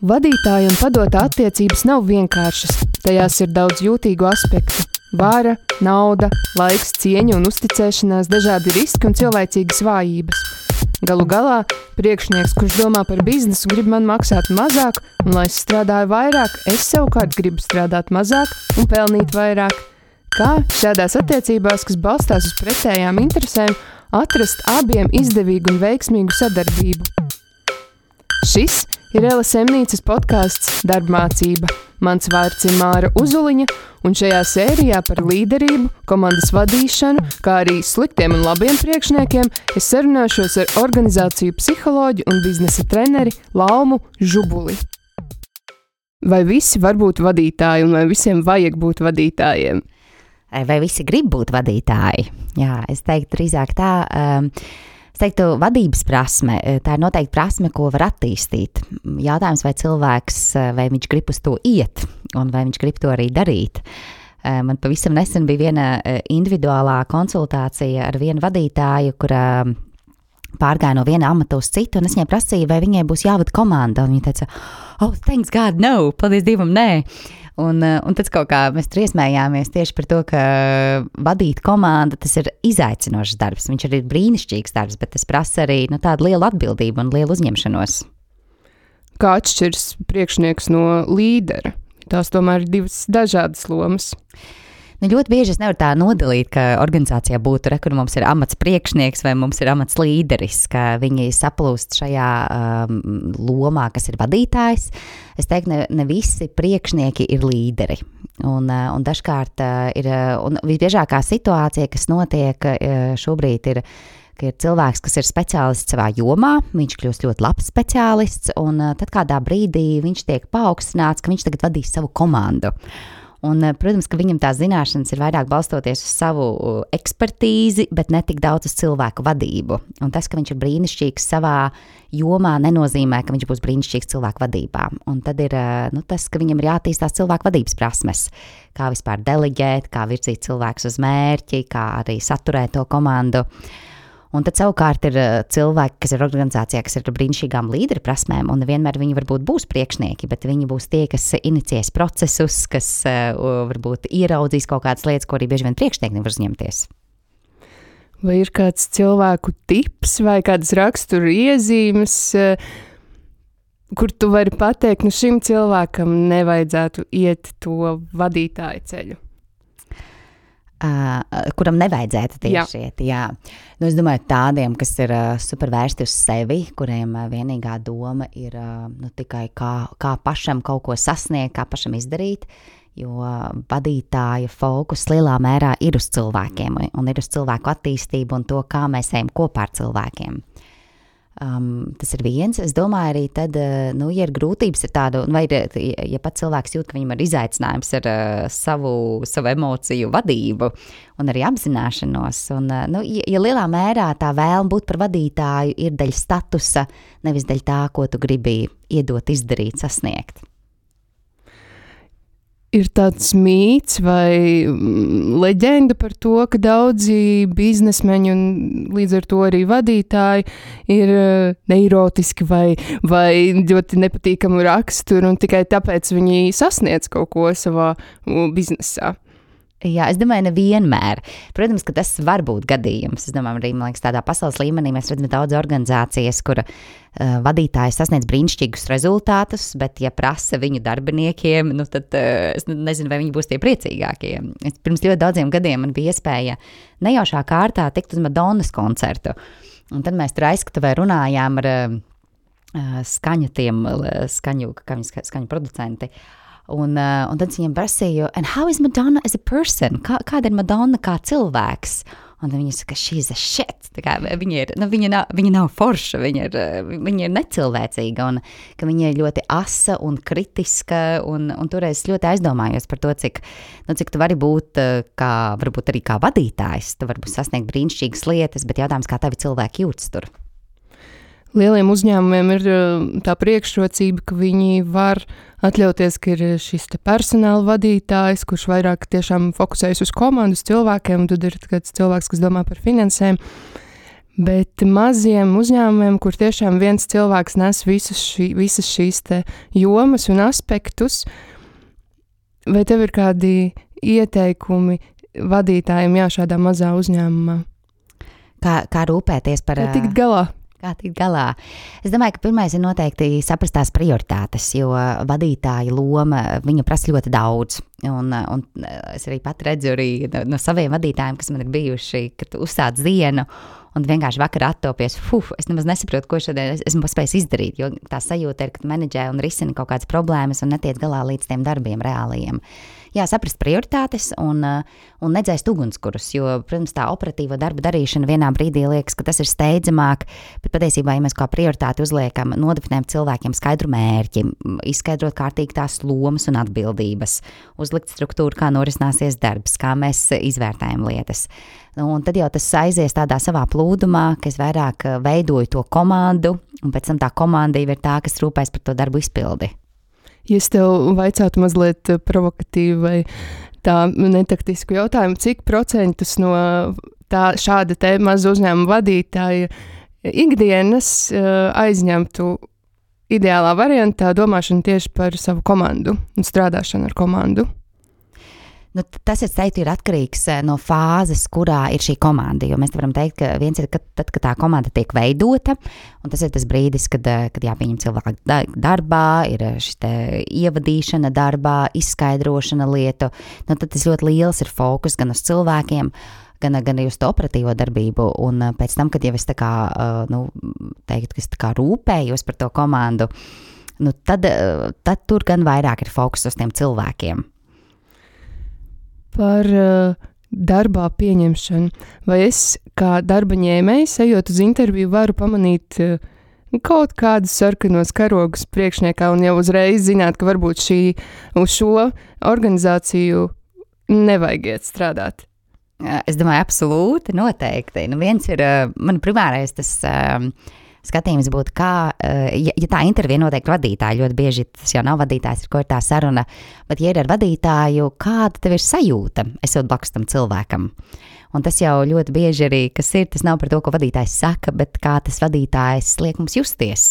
Vadītāja un padotā attiecības nav vienkāršas. Tajās ir daudz jūtīgu aspektu – vara, nauda, laiks, cieņa un uzticēšanās, dažādi riski un cilvēcīgas vājības. Galu galā, priekšnieks, kurš domā par biznesu, grib man maksāt mazāk, un lai es strādāju vairāk, es savukārt gribu strādāt mazāk un pelnīt vairāk. Kā šādās attiecībās, kas balstās uz pretējām interesēm, atrast abiem izdevīgu un veiksmīgu sadarbību? Šis ir LSM-nīcas podcasts Darbmācība. Mans vārds ir Māra Uzuliņa, un šajā sērijā par līderību, komandas vadīšanu, kā arī sliktiem un labiem priekšniekiem, es sarunāšos ar organizāciju psiholoģu un biznesa treneri Laumu Žubuli. Vai visi var būt vadītāji un vai visiem vajag būt vadītājiem? Vai visi grib būt vadītāji? Jā, es teiktu drīzāk tā. Es teiktu, vadības prasme, tā ir noteikti prasme, ko var attīstīt. Jautājums, vai cilvēks, vai viņš grib uz to iet, un vai viņš grib to arī darīt. Man pavisam nesen bija viena individuālā konsultācija ar vienu vadītāju, kura pārgāja no viena amata uz citu, un es viņai prasīju, vai viņai būs jāvada komanda. Un viņa teica, oh, thanks God, no, paldies Dievam, nē. Un tad kaut kā mēs triesmējāmies tieši par to, ka vadīt komandu, tas ir izaicinošs darbs. Viņš arī ir brīnišķīgs darbs, bet tas prasa arī tādu lielu atbildību un lielu uzņemšanos. Kā atšķirs priekšnieks no līdera? Tās tomēr ir divas dažādas lomas. Ļoti bieži es nevaru tā nodalīt, ka organizācijā būtu, kur mums ir amats priekšnieks vai mums ir amats līderis, ka viņi saplūst šajā lomā, kas ir vadītājs. Es teiktu, ne visi priekšnieki ir līderi. Un dažkārt ir, un visbiežākā situācija, kas notiek šobrīd ir, ka ir cilvēks, kas ir speciālists savā jomā, viņš kļūst ļoti labs speciālists, un tad kādā brīdī viņš tiek paaugstināts, ka viņš tagad vadīs savu komandu. Un, protams, ka viņam tās zināšanas ir vairāk balstoties uz savu ekspertīzi, bet ne tik daudz uz cilvēku vadību. Un tas, ka viņš ir brīnišķīgs savā jomā, nenozīmē, ka viņš būs brīnišķīgs cilvēku vadībā. Un tad ir tas, ka viņam ir jāattīstās cilvēku vadības prasmes, kā vispār deleģēt, kā virzīt cilvēkus uz mērķi, kā arī saturēt to komandu. Un tad savukārt ir cilvēki, kas ir organizācijā, kas ir ar brīnišķīgām līderu prasmēm, un vienmēr viņi varbūt būs priekšnieki, bet viņi būs tie, kas inicies procesus, kas varbūt ieraudzīs kaut kādas lietas, ko arī bieži vien priekšnieki nevar uzņemties. Vai ir kāds cilvēku tips vai kādas rakstura iezīmes, kur tu vari pateikt, šim cilvēkam nevajadzētu iet to vadītāju ceļu? Kuram nevajadzētu tieši iet, jā. Es domāju, tādiem, kas ir super vērsti uz sevi, kuriem vienīgā doma ir tikai kā pašam kaut ko sasniegt, kā pašam izdarīt, jo vadītāja fokus lielā mērā ir uz cilvēkiem un ir uz cilvēku attīstību un to, kā mēs ejam kopā ar cilvēkiem. Tas ir viens. Es domāju arī tad, ja ir grūtības ar tādu, vai ja pat cilvēks jūt, ka viņam ir izaicinājums ar savu emociju vadību un arī apzināšanos. Un, ja lielā mērā tā vēlme būt par vadītāju ir daļa statusa, nevis daļa tā, ko tu gribi iedot, izdarīt, sasniegt. Ir tāds mīts vai leģenda par to, ka daudzi biznesmeņi un līdz ar to arī vadītāji ir neirotiski vai ļoti nepatīkamu raksturu un tikai tāpēc viņi sasniedz kaut ko savā biznesā. Jā, es domāju, nevienmēr. Protams, ka tas var būt gadījums. Es domāju, arī, man liekas, tādā pasaules līmenī mēs redzam daudz organizācijas, kura vadītāji sasniedz brīnišķīgus rezultātus, bet ja prasa viņu darbiniekiem, tad es nezinu, vai viņi būs tie priecīgākie. Pirms ļoti daudziem gadiem man bija iespēja nejaušā kārtā tikt uz Madonnas koncertu. Un tad mēs tur aizskatuvē runājām ar skaņu producenti. Un tad viņam prasīju, and how is Madonna as a person? Kāda ir Madonna kā cilvēks? Un tad viņa saka, she's a shit. Tā kā viņa nav forša, viņa ir necilvēcīga, un ka viņa ir ļoti asa un kritiska, un toreiz ļoti aizdomājos par to, cik tu vari būt, varbūt arī kā vadītājs, tu vari sasniegt brīnišķīgas lietas, bet jautājums, kā tavi cilvēki jūtas tur. Lieliem uzņēmumiem ir tā priekšrocība, ka viņi var atļauties, ka ir šis personāla vadītājs, kurš vairāk tiešām fokusējas uz komandu, uz cilvēkiem, un tad ir kāds cilvēks, kas domā par finansēm. Bet maziem uzņēmumiem, kur tiešām viens cilvēks nes visas šīs te jomas un aspektus, vai tev ir kādi ieteikumi vadītājiem šādā mazā uzņēmumā? Kā rūpēties par... Kā tikt galā? Kā tikt galā? Es domāju, ka pirmais ir noteikti saprast tās prioritātes, jo vadītāja loma, viņa prasa ļoti daudz. Un es arī pat redzu arī no saviem vadītājiem, kas man ir bijuši, kad uzsāc dienu un vienkārši vakarā attopies, es nemaz nesaprotu, ko šodien esmu paspējis izdarīt, jo tā sajūta ir, ka menedžē un risina kaut kādas problēmas un netiec galā līdz tiem darbiem reālajiem. Jā, saprast prioritātes un nedzēst ugunskurus, jo, protams, tā operatīvo darbu darīšana vienā brīdī liekas, ka tas ir steidzamāk, bet patiesībā, ja mēs kā prioritāti uzliekam, nodefinējam cilvēkiem skaidru mērķi, izskaidrot kārtīgi tās lomas un atbildības, uzlikt struktūru, kā norisināsies darbs, kā mēs izvērtējam lietas. Un tad jau tas aizies tādā savā plūdumā, ka es vairāk veidoju to komandu, un pēc tam tā komanda jau ir tā, kas rūpēs par to darbu izpildi. Ja es tev vaicātu mazliet provokatīvu vai tā netaktisku jautājumu, cik procentus no šāda te maza uzņēmuma vadītāja ikdienas aizņemtu ideālā variantā domāšanu tieši par savu komandu un strādāšanu ar komandu? Nu, tas, es teiktu, ir atkarīgs no fāzes, kurā ir šī komanda, jo mēs varam teikt, ka viens ir tad, kad tā komanda tiek veidota, un tas ir tas brīdis, kad jāpieņem cilvēku darbā, ir šis te ievadīšana darbā, izskaidrošana lietu, nu, tad tas ļoti liels ir fokus gan uz cilvēkiem, gan arī uz to operatīvo darbību, un pēc tam, kad jau es tā kā, teiktu, ka es tā kā rūpējos par to komandu, nu, tad tur gan vairāk ir fokus uz tiem cilvēkiem. Par darbā pieņemšanu. Vai es kā darba ņēmējs, ejot uz interviju, varu pamanīt kaut kādus sarkanos karogus priekšniekā un jau uzreiz zināt, ka varbūt uz šo organizāciju nevajag iet strādāt? Es domāju, absolūti, noteikti. Nu, viens ir, man primārais tas skatījums būtu, kā, ja tā intervija notiek vadītāju, ļoti bieži tas jau nav vadītājs, ar ko ir tā saruna, bet ja ir ar vadītāju, kāda tev ir sajūta, esot blakus tam cilvēkam. Un tas jau ļoti bieži arī, kas ir, tas nav par to, ko vadītājs saka, bet kā tas vadītājs liek mums justies.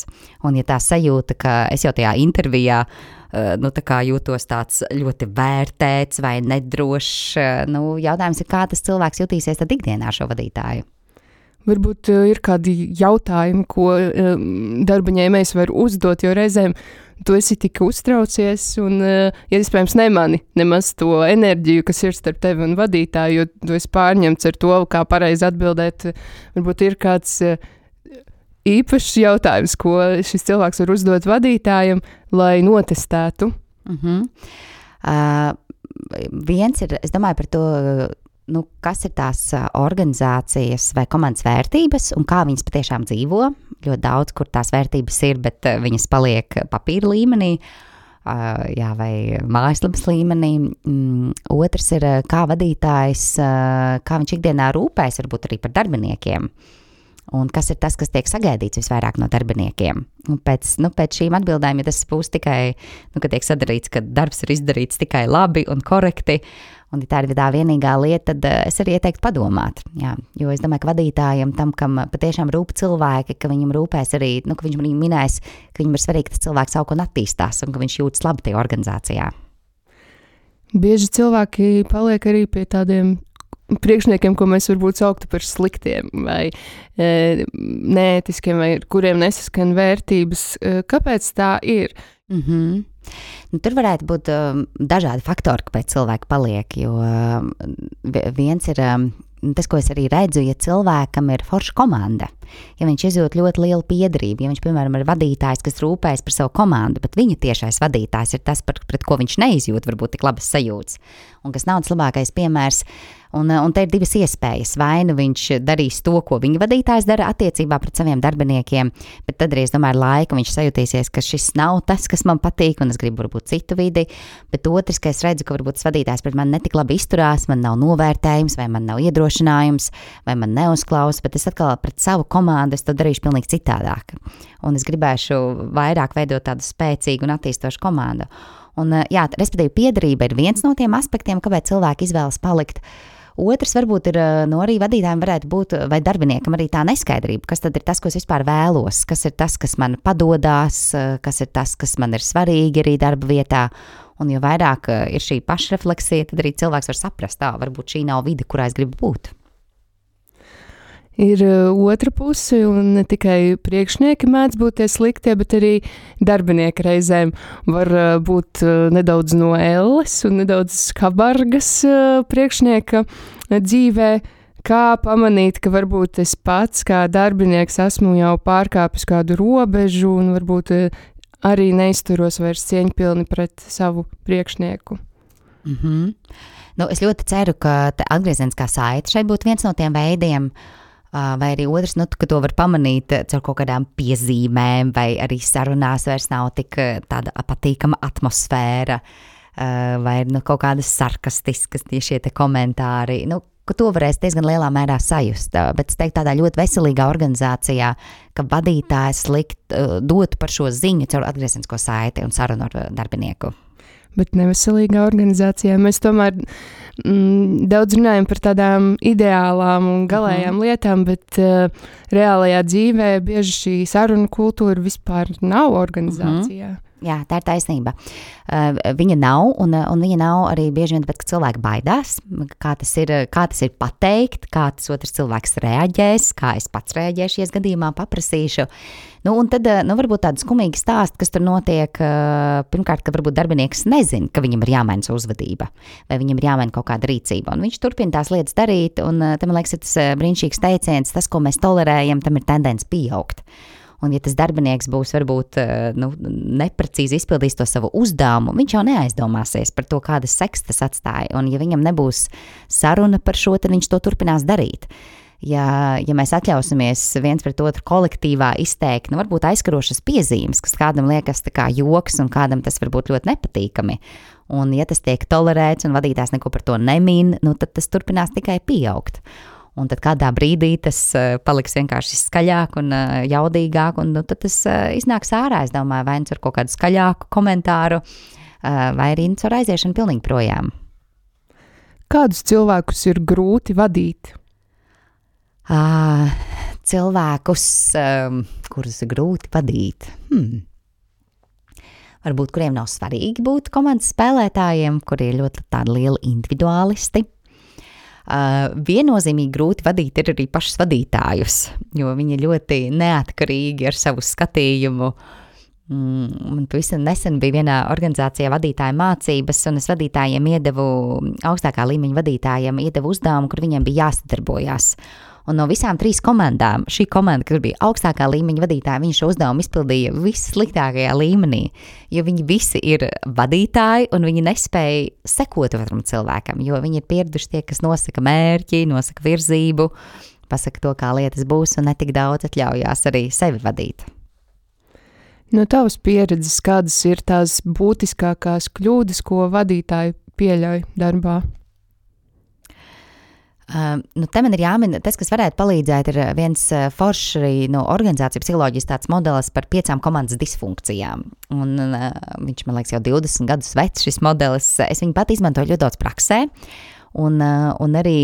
Un ja tā sajūta, ka es jau tajā intervijā, tā kā jūtos tāds ļoti vērtēts vai nedrošs, jautājums ir, kā tas cilvēks jutīsies tad ikdienā šo vadītāju. Varbūt ir kādi jautājumi, ko darba ņēmējs var uzdot, jo reizēm tu esi tik uztraucies un, ja iespējams, nemani nemaz to enerģiju, kas ir starp tevi un vadītāju, jo tu esi pārņemts ar to, kā pareizi atbildēt. Varbūt ir kāds īpašs jautājums, ko šis cilvēks var uzdot vadītājam, lai notestētu. Viens ir, es domāju par to, kas ir tās organizācijas vai komandas vērtības un kā viņas patiešām dzīvo. Ļoti daudz, kur tās vērtības ir, bet viņas paliek papīra līmenī, vai mājaslapas līmenī. Otrs ir, kā vadītājs, kā viņš ikdienā rūpēs varbūt arī par darbiniekiem. Un kas ir tas, kas tiek sagaidīts visvairāk no darbiniekiem. Un pēc šīm atbildēm, ja tas būs tikai, kad tiek sadarīts, ka darbs ir izdarīts tikai labi un korekti, un ja tā ir tā vienīgā lieta, tad es arī ieteiktu padomāt. Jā, jo es domāju, ka vadītājiem tam, kam patiešām rūp cilvēki, ka viņam rūpēs arī, ka viņš arī minēs, ka viņam ir svarīgi, ka tas cilvēks aug un attīstās un ka viņš jūtas labi tajā organizācijā. Bieži cilvēki paliek arī pie tādiem priekšniekiem, ko mēs varbūt sauktu par sliktiem vai neētiskiem, vai kuriem nesaskan vērtības. Kāpēc tā ir? Tur varētu būt dažādi faktori, kāpēc cilvēki paliek, jo viens ir tas, ko es arī redzu, ja cilvēkam ir forša komanda, ja viņš izjūt ļoti lielu piederību, ja viņš, piemēram, ir vadītājs, kas rūpējas par savu komandu, bet viņa tiešais vadītājs ir tas, pret ko viņš neizjūt varbūt tik labas sajūtas, un kas nav tas labākais piemērs. Un te ir divas iespējas. Vai nu viņš darīs to, ko viņa vadītājs dara attiecībā pret saviem darbiniekiem, bet tad arī, es domāju, ar laiku viņš sajutīsies, ka šis nav tas, kas man patīk, un es gribu varbūt citu vidi, bet otrs, ka es redzu, ka varbūt tas vadītājs pret mani netik labi izturās, man nav novērtējums, vai man nav iedrošinājums, vai man neuzklausa, bet es atkal pret savu komandu es to darīšu pilnīgi citādāk. Un es gribēšu vairāk veidot tādu spēcīgu un attīstošu komandu. Un, respektīvi, piederība ir viens no tiem aspektiem, kāpēc cilvēki izvēlas palikt. Otrs varbūt ir, arī vadītājiem varētu būt, vai darbiniekam arī tā neskaidrība, kas tad ir tas, ko es vispār vēlos, kas ir tas, kas man padodās, kas ir tas, kas man ir svarīgi arī darba vietā. Un jo vairāk ir šī pašrefleksija, tad arī cilvēks var saprast, varbūt šī nav vide, kurā es gribu būt. Ir otra puse, un ne tikai priekšnieki mēdz būt tie sliktie, bet arī darbinieki reizēm var būt nedaudz no elles un nedaudz skabargas priekšnieka dzīvē. Kā pamanīt, ka varbūt es pats kā darbinieks esmu jau pārkāpis kādu robežu un varbūt arī neizturos vairs cieņpilni pret savu priekšnieku? Es ļoti ceru, ka atgriezeniskā saite šeit būtu viens no tiem veidiem, vai arī otrs, ka to var pamanīt caur kaut kādām piezīmēm, vai arī sarunās vairs nav tik tāda patīkama atmosfēra, vai kaut kādas sarkastiskas šie te komentāri, ka to varēs diezgan lielā mērā sajust, bet es teiktu tādā ļoti veselīgā organizācijā, ka vadītājs dotu par šo ziņu caur atgriezenisko saiti un sarunu ar darbinieku. Bet neveselīgā organizācijā mēs tomēr daudz runājam par tādām ideālām un galējām lietām, bet reālajā dzīvē bieži šī saruna kultūra vispār nav organizācijā. Jā, tā ir taisnība. Viņa nav, un viņa nav arī bieži vien tāpēc, ka cilvēki baidās, kā tas ir pateikt, kā tas otrs cilvēks reaģēs, kā es pats reaģēšu, ja es gadījumā paprasīšu. Un tad, varbūt tāda skumīga stāsta, kas tur notiek, pirmkārt, ka varbūt darbinieks nezin, ka viņam ir jāmaina savu uzvedība, vai viņam ir jāmaina kaut kāda rīcība, un viņš turpina tās lietas darīt, un tam, man liekas, ir tas brīnišķīgs teiciens, tas, ko mēs tolerējam, tam ir tendence pieaugt. Un ja tas darbinieks būs varbūt neprecīzi izpildījis to savu uzdevumu, viņš jau neaizdomāsies par to, kādas sekas tas atstāja. Un ja viņam nebūs saruna par šo, tad viņš to turpinās darīt. Ja mēs atļausimies viens pret otru kolektīvā izteikt, varbūt aizskarošas piezīmes, kas kādam liekas tā kā joks un kādam tas varbūt ļoti nepatīkami. Un ja tas tiek tolerēts un vadītājs neko par to nemin, tad tas turpinās tikai pieaugt. Un tad kādā brīdī tas paliks vienkārši skaļāk un jaudīgāk, un tad tas iznāks ārā, es domāju, vai ar kaut kādu skaļāku komentāru, vai arī ar aiziešanu pilnīgi projām. Kādus cilvēkus ir grūti vadīt? Cilvēkus, kurus ir grūti vadīt. Varbūt, kuriem nav svarīgi būt komandas spēlētājiem, kuri ir ļoti tādi lieli individuālisti. Viennozīmīgi grūti vadīt ir arī pašus vadītājus, jo viņi ļoti neatkarīgi ar savu skatījumu. Man pavisam nesen bija vienā organizācijā vadītāja mācības, un es vadītājiem augstākā līmeņa vadītājiem iedevu uzdevumu, kur viņiem bija jāsadarbojās. Un no visām 3 komandām, šī komanda, kur bija augstākā līmeņa vadītāja, viņi šo uzdevumu izpildīja vissliktākajā līmenī, jo viņi visi ir vadītāji un viņi nespēja sekot otram cilvēkam, jo viņi ir pieraduši tie, kas nosaka mērķi, nosaka virzību, pasaka to, kā lietas būs un netik daudz atļaujās arī sevi vadīt. No tavas pieredzes, kādas ir tās būtiskākās kļūdas, ko vadītāji pieļauj darbā? Te man ir jāmin, tas, kas varētu palīdzēt, ir viens foršs arī no organizāciju psiholoģijas tāds modelis par 5 komandas disfunkcijām. Un viņš, man liekas, jau 20 gadus vecs šis modelis. Es viņu pat izmantoju ļoti daudz praksē. Un arī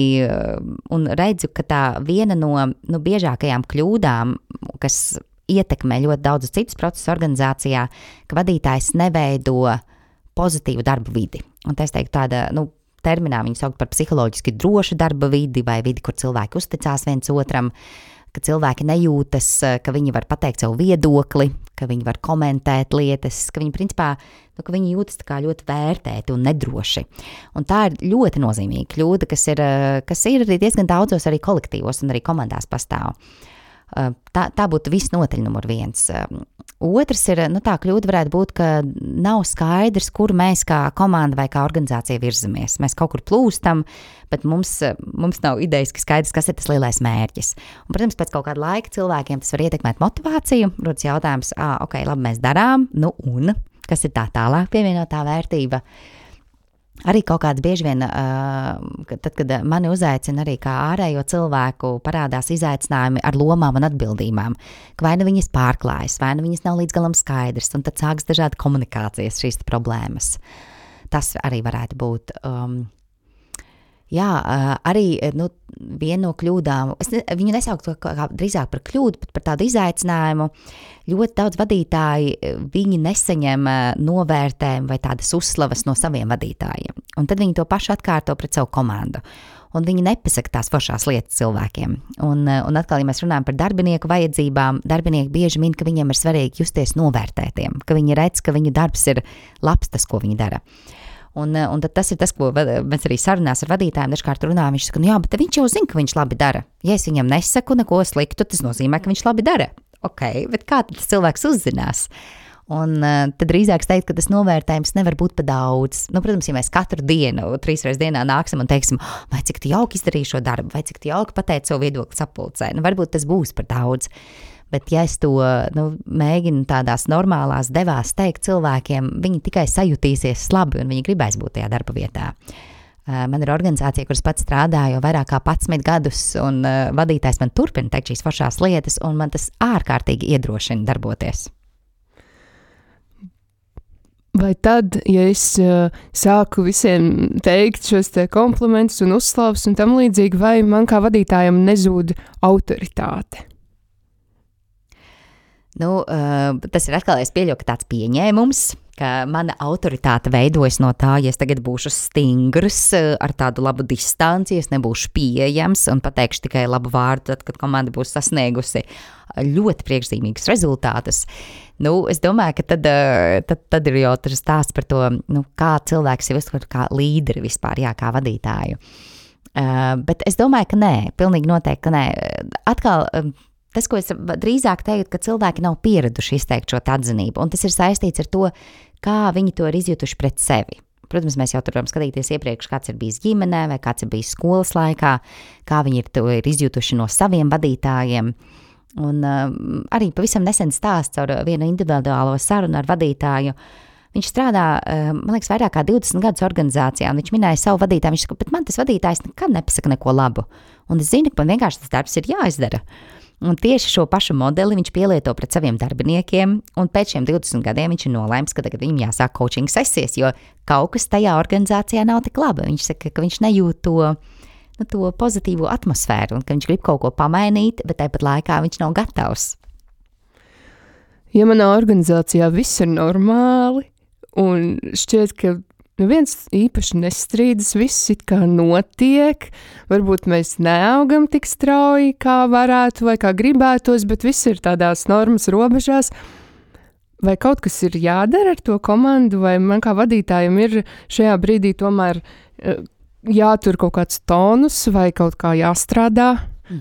redzu, ka tā viena no biežākajām kļūdām, kas ietekmē ļoti daudzus citus procesus organizācijā, ka vadītājs neveido pozitīvu darba vidi. Un es teiktu tāda, terminā viņu saukt par psiholoģiski drošu darba vidi vai vidi, kur cilvēki uzticās viens otram, ka cilvēki nejūtas, ka viņi var pateikt savu viedokli, ka viņi var komentēt lietas, ka viņi principā, ka viņi jūtas tā kā ļoti vērtēti un nedroši. Un tā ir ļoti nozīmīga kļūda, kas ir arī diezgan daudzos arī kolektīvos un arī komandās pastāv. Tā būtu visnotaļ numur 1. Otrs ir, tā kļūda varētu būt, ka nav skaidrs, kur mēs kā komanda vai kā organizācija virzamies. Mēs kaut kur plūstam, bet mums nav idejas, ka skaidrs, kas ir tas lielais mērķis. Un, protams, pēc kaut kāda laika cilvēkiem tas var ietekmēt motivāciju. Rodas jautājums, ok, labi, mēs darām, un kas ir tā tālāk pievienotā vērtība? Arī kaut kāds bieži vien, tad, kad mani uzaicina arī kā ārējo cilvēku, parādās izaicinājumi ar lomām un atbildībām, ka vai nu viņas pārklājas, vai nu viņas nav līdz galam skaidrs, un tad sāks dažādi komunikācijas šīs problēmas. Tas arī varētu būt. Jā, arī viena no kļūdām, viņu nesauktu kā drīzāk par kļūdu, bet par tādu izaicinājumu. Ļoti daudz vadītāji, viņi nesaņem novērtējumu vai tādas uzslavas no saviem vadītājiem. Un tad viņi to pašu atkārto pret savu komandu. Un viņi nepasaka tās foršās lietas cilvēkiem. Un atkal, ja mēs runājam par darbinieku vajadzībām, darbinieki bieži min, ka viņiem ir svarīgi justies novērtētiem, ka viņi redz, ka viņu darbs ir labs, tas, ko viņi dara. Un tad tas ir tas, ko mēs arī sarunās ar vadītājiem dažkārt runājam. Viņš saka, jā, bet viņš jau zina, ka viņš labi dara. Ja es viņam nesaku neko sliktu, tas nozīmē, ka viņš labi dara. Ok, bet kā tad tas cilvēks uzzinās? Un tad drīzāk teikt, ka tas novērtējums nevar būt pa daudz. Protams, ja mēs katru dienu, 3 reizes dienā nāksim un teiksim, vai cik tu jauki izdarīji šo darbu, vai cik tu jauki pateici savu viedokli sapulcē, varbūt tas būs par daudz. Bet ja es to mēģinu tādās normālās devās teikt cilvēkiem, viņi tikai sajutīsies labi un viņi gribēs būt tajā darba vietā. Man ir organizācija, kuras pats strādāju jau vairāk kā 11 gadus, un vadītājs man turpina teikt šīs foršās lietas, un man tas ārkārtīgi iedrošina darboties. Vai tad, ja es sāku visiem teikt šos te komplimentus un uzslavas un tam līdzīgi, vai man kā vadītājam nezūd autoritāte? Tas ir atkal, es pieļauju, ka tāds pieņēmums, ka mana autoritāte veidojas no tā, ja es tagad būšu stingrs ar tādu labu distanci, es nebūšu pieejams un pateikšu tikai labu vārdu, tad, kad komanda būs sasniegusi ļoti priekšzīmīgus rezultātus. Es domāju, ka tad ir jau tas stāsts par to, kā cilvēks ir uztver kā līderi vispār, kā vadītāju. Bet es domāju, ka nē, pilnīgi noteikti, ka nē. Atkal, tas, ko es drīzāk teiktu, ka cilvēki nav pieraduši izteikt šo atzinību, un tas ir saistīts ar to, kā viņi to ir izjutuši pret sevi. Protams, mēs jau tur varam skatīties iepriekš, kāds ir bijis ģimenē vai kāds ir bijis skolas laikā, kā viņi to ir izjutuši no saviem vadītājiem. Un arī pavisam nesen stāsts ar vienu individuālo sarunu ar vadītāju. Viņš strādā, man liekas, vairāk kā 20 gadus organizācijā, un viņš minēja savu vadītāju. Viņš saka, bet man tas vadītājs nekad nepasaka neko labu. Un es zinu, ka man vienkārši tas darbs ir jāizdara. Un tieši šo pašu modeli viņš pielieto pret saviem darbiniekiem, un pēc šiem 20 gadiem viņš ir nolēms, ka tagad viņam jāsāk coaching sesijas, jo kaut kas tajā organizācijā nav tik labi. Viņš saka, ka viņš nejūt to pozitīvo atmosfēru, un ka viņš grib kaut ko pamainīt, bet tāpat laikā viņš nav gatavs. Ja manā organizācijā viss ir normāli, un šķiet, ka neviens īpaši nestrīdas, viss it kā notiek, varbūt mēs neaugam tik strauji, kā varētu vai kā gribētos, bet viss ir tādās normas robežās. Vai kaut kas ir jādara ar to komandu, vai man kā vadītājiem ir šajā brīdī tomēr jātur kaut kāds tonus vai kaut kā jāstrādā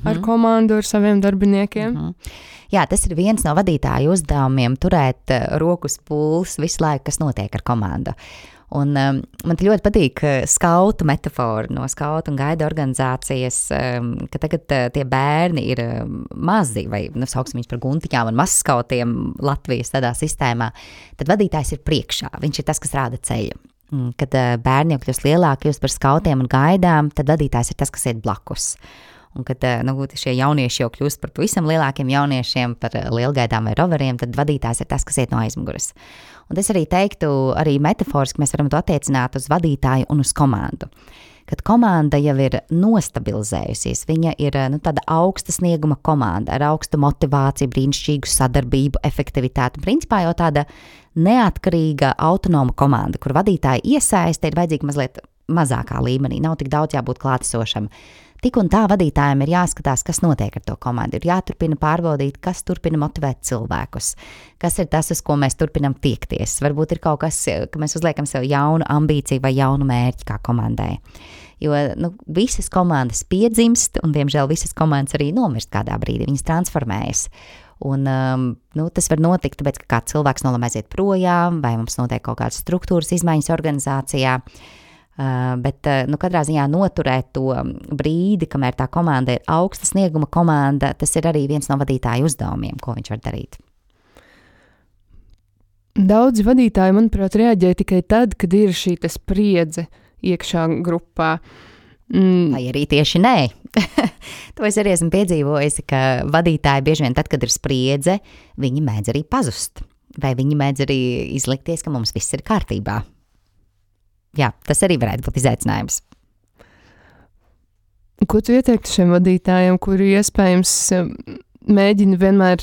ar komandu, ar saviem darbiniekiem? Jā, tas ir viens no vadītāju uzdevumiem turēt rokas pulss visu laiku, kas notiek ar komandu. Un man ļoti patīk skautu metafora no skautu un gaida organizācijas, ka tagad tie bērni ir mazi, vai sauksim viņus par guntiņām un mazskautiem Latvijas tādā sistēmā, tad vadītājs ir priekšā, viņš ir tas, kas rāda ceļu. Kad bērni jau kļūst lielāki, kļūst par skautiem un gaidām, tad vadītājs ir tas, kas iet blakus. Un kad šie jaunieši jau kļūst par pavisam lielākiem jauniešiem, par lielgaidām vai roveriem, tad vadītājs ir tas, kas iet no aizmuguras. Un es arī teiktu, arī metaforiski mēs varam to attiecināt uz vadītāju un uz komandu. Kad komanda jau ir nostabilizējusies, viņa ir tāda augsta snieguma komanda ar augstu motivāciju, brīnišķīgu sadarbību, efektivitāti. Principā jau tāda neatkarīga, autonoma komanda, kur vadītāja iesaiste ir vajadzīga mazliet mazākā līmenī, nav tik daudz jābūt klātesošam. Tik un tā vadītājiem ir jāskatās, kas notiek ar to komandu. Ir jāturpina pārbaudīt, kas turpina motivēt cilvēkus, kas ir tas, uz ko mēs turpinam tiekties. Varbūt ir kaut kas, ka mēs uzliekam sev jaunu ambīciju vai jaunu mērķi kā komandai. Jo visas komandas piedzimst, un diemžēl visas komandas arī nomirst kādā brīdī, viņas transformējas. Un tas var notikt, tāpēc, ka kāds cilvēks nolemj aiziet projām, vai mums notiek kaut kādas struktūras izmaiņas organizācijā. Bet katrā ziņā noturēt to brīdi, kamēr tā komanda ir augsta snieguma komanda, tas ir arī viens no vadītāju uzdevumiem, ko viņš var darīt. Daudzi vadītāji, manuprāt, reaģē tikai tad, kad ir šī spriedze iekšā grupā. Vai arī tieši nē. To es arī esmu piedzīvojusi, ka vadītāji bieži vien tad, kad ir spriedze, viņi mēdz arī pazust. Vai viņi mēdz arī izlikties, ka mums viss ir kārtībā. Jā, tas arī varētu būt izaicinājums. Ko tu ieteiktu šiem vadītājiem, kuri iespējams mēģina vienmēr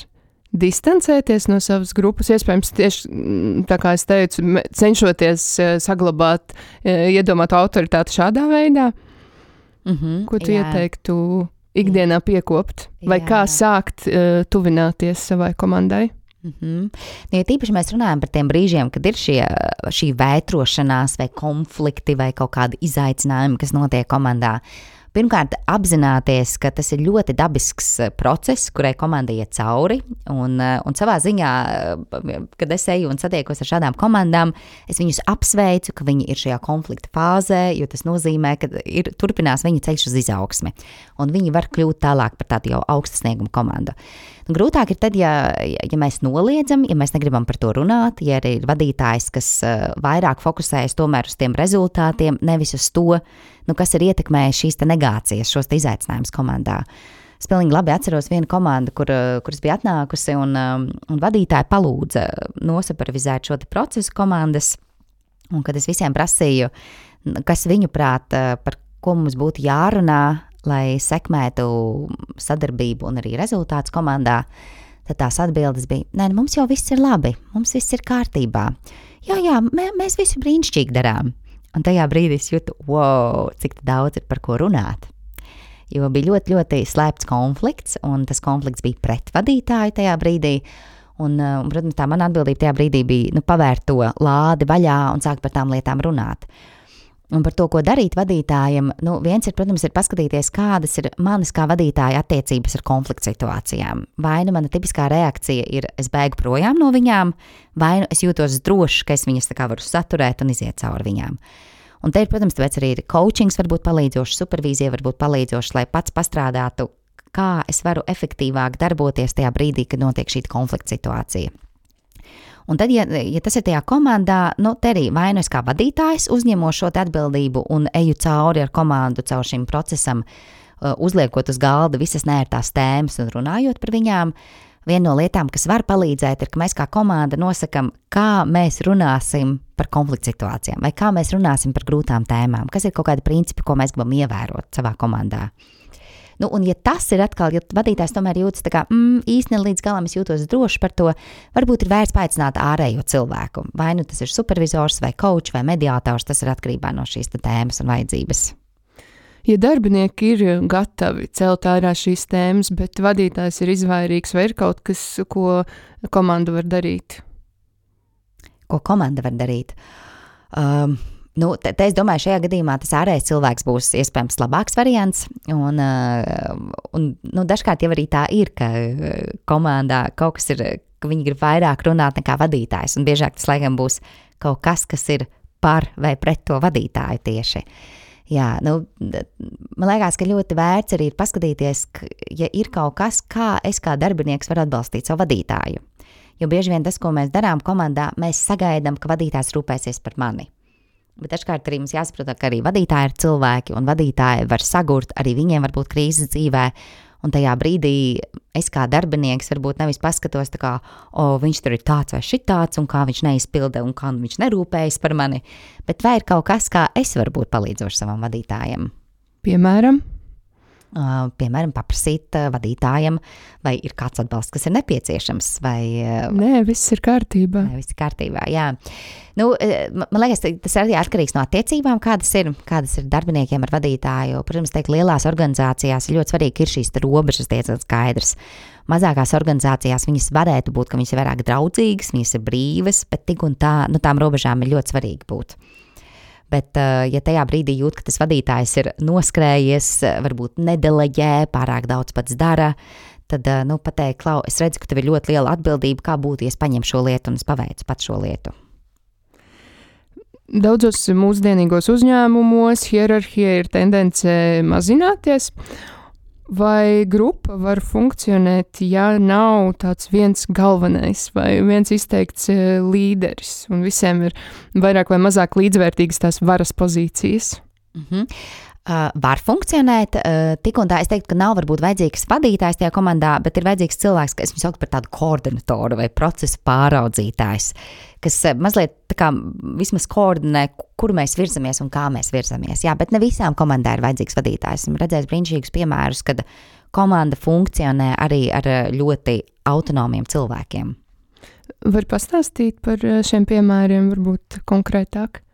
distancēties no savas grupas, iespējams tieši, tā kā es teicu, cenšoties saglabāt iedomātu autoritāti šādā veidā? Ko tu ieteiktu ikdienā piekopt? Vai kā sākt tuvināties savai komandai? Ja tīpaši mēs runājam par tiem brīžiem, kad ir šī vētrošanās vai konflikti vai kaut kādi izaicinājumi, kas notiek komandā. Pirmkārt, apzināties, ka tas ir ļoti dabisks process, kurai komanda iet cauri, un savā ziņā, kad es eju un satiekos ar šādām komandām, es viņus apsveicu, ka viņi ir šajā konflikta fāzē, jo tas nozīmē, ka turpinās viņa ceļš uz izaugsmi, un viņi var kļūt tālāk par tādu jau augsta snieguma komandu. Grūtāk ir tad, ja mēs noliedzam, ja mēs negribam par to runāt, ja arī ir vadītājs, kas vairāk fokusējas tomēr uz tiem rezultātiem, nevis uz to, kas ir ietekmējis šīs te negācijas, šos te izaicinājumus komandā. Es pilnīgi labi atceros vienu komandu, kuras bija atnākusi un vadītāji palūdza nosupervizēt šo te procesu komandas, un kad es visiem prasīju, kas viņu prāt, par ko mums būtu jārunā, lai sekmētu sadarbību un arī rezultātus komandā, tad tās atbildes bija, nē, mums jau viss ir labi, mums viss ir kārtībā. Jā, mēs visu brīnišķīgi darām. Un tajā brīdī es jūtu, wow, cik daudz ir par ko runāt. Jo bija ļoti, ļoti slēpts konflikts, un tas konflikts bija pret vadītāju tajā brīdī. Un protams, tā mana atbildība tajā brīdī bija pavērt to lādi vaļā un sākt par tām lietām runāt. Un par to, ko darīt vadītājiem, viens ir, protams, ir paskatīties, kādas ir manas kā vadītāja attiecības ar konflikta situācijām. Vai mana tipiskā reakcija ir, es bēgu projām no viņām, vai es jūtos droši, ka es viņas tā kā varu saturēt un iziet cauri viņām. Un te ir, protams, tāpēc arī coachings var būt palīdzošs, supervīzija var būt palīdzošs, lai pats pastrādātu, kā es varu efektīvāk darboties tajā brīdī, kad notiek šī konflikta situācija. Un tad, ja tas ir tajā komandā, te arī vai nu es kā vadītājs uzņemo šo atbildību un eju cauri ar komandu caur šim procesam, uzliekot uz galda visas neērtās tēmas un runājot par viņām. Viena no lietām, kas var palīdzēt, ir, ka mēs kā komanda nosakam, kā mēs runāsim par konflikta situācijām vai kā mēs runāsim par grūtām tēmām, kas ir kaut kādi principi, ko mēs gribam ievērot savā komandā. Un ja tas ir atkal, ja vadītājs tomēr jūtas tā kā, īsti līdz galam es jūtos droši par to, varbūt ir vērts paaicināt ārējo cilvēku. Vai tas ir supervizors, vai coach, vai mediātors, tas ir atkarībā no šīs tēmas un vajadzības. Ja darbinieki ir gatavi celt ārā šīs tēmas, bet vadītājs ir izvairīgs, vai ir kaut kas, ko komanda var darīt? Ko komanda var darīt? Te es domāju, šajā gadījumā tas ārējais cilvēks būs iespējams labāks variants, un dažkārt jau arī tā ir, ka komandā kaut kas ir, ka viņi grib vairāk runāt nekā vadītājs, un biežāk tas laikam būs kaut kas, kas ir par vai pret to vadītāju tieši. Jā, man liekas, ka ļoti vērts arī ir paskatīties, ja ir kaut kas, kā es kā darbinieks varu atbalstīt savu vadītāju. Jo bieži vien tas, ko mēs darām komandā, mēs sagaidām, ka vadītājs rūpēsies par mani. Bet dažkārt arī mums jāsaprot, ka arī vadītāji ir cilvēki, un vadītāji var sagurt, arī viņiem var būt krīzes dzīvē, un tajā brīdī es kā darbinieks varbūt nevis paskatos tā kā, viņš tur ir tāds vai šitāds, un kā viņš neizpilda, un kā viņš nerūpējas par mani, bet vai ir kaut kas, kā es varu būt palīdzoši savam vadītājam? Piemēram? Piemēram, paprasīt vadītājam, vai ir kāds atbalsts, kas ir nepieciešams, vai... Nē, viss ir kārtībā. Nē, viss ir kārtībā, jā. Man liekas, tas arī atkarīgs no attiecībām, kādas ir darbiniekiem ar vadītāju. Protams, lielās organizācijās ir ļoti svarīgi, ka ir šīs robežas diezgan skaidrs. Mazākās organizācijās viņas varētu būt, ka viņas ir vairāk draudzīgas, viņas ir brīvas, bet tik un tā, tām robežām ir ļoti svarīgi būt. Bet, ja tajā brīdī jūt, ka tas vadītājs ir noskrējies, varbūt nedeleģē, pārāk daudz pats dara, tad pateikt, Klau, es redzu, ka tev ir ļoti liela atbildība, kā būtu, ja es paņemu šo lietu un es paveicu pat šo lietu. Daudzos mūsdienīgos uzņēmumos hierarhija ir tendence mazināties. Vai grupa var funkcionēt, ja nav tāds viens galvenais vai viens izteikts līderis, un visiem ir vairāk vai mazāk līdzvērtīgas tās varas pozīcijas? Var funkcionēt, tik un tā es teiktu, ka nav varbūt vajadzīgs vadītājs tajā komandā, bet ir vajadzīgs cilvēks, kas viņu sauc par tādu koordinatoru vai procesu pāraudzītājs, kas mazliet tā kā vismaz koordinē, kur mēs virzamies un kā mēs virzamies. Jā, bet ne visām komandām ir vajadzīgs vadītājs. Esmu redzējis brīnišķīgus piemērus, kad komanda funkcionē arī ar ļoti autonomiem cilvēkiem. Var pastāstīt par šiem piemēriem, varbūt konkrētāk?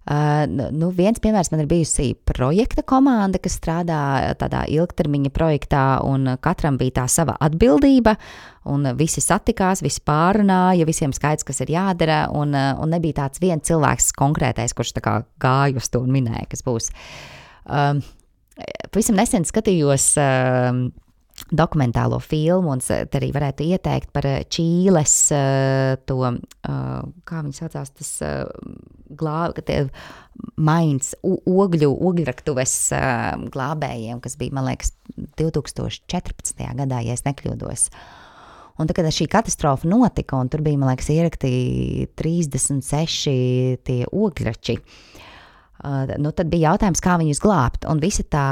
Viens piemērs man ir bijusi projekta komanda, kas strādā tādā ilgtermiņa projektā, un katram bija tā sava atbildība, un visi satikās, visi pārunāja, visiem skaidrs, kas ir jādara, un nebija tāds viens cilvēks konkrētais, kurš tā kā gāja uz to un minēja, kas būs. Pavisam nesen skatījos dokumentālo filmu, un te arī varētu ieteikt par Čīles to, kā viņi saucās, tas ogļraktuves glābējiem, kas bija, man liekas, 2014. gadā, ja es nekļūdos. Un tad, kad šī katastrofa notika, un tur bija, man liekas, ierakti 36 tie ogļrači, tad bija jautājums, kā viņus glābt, un visa tā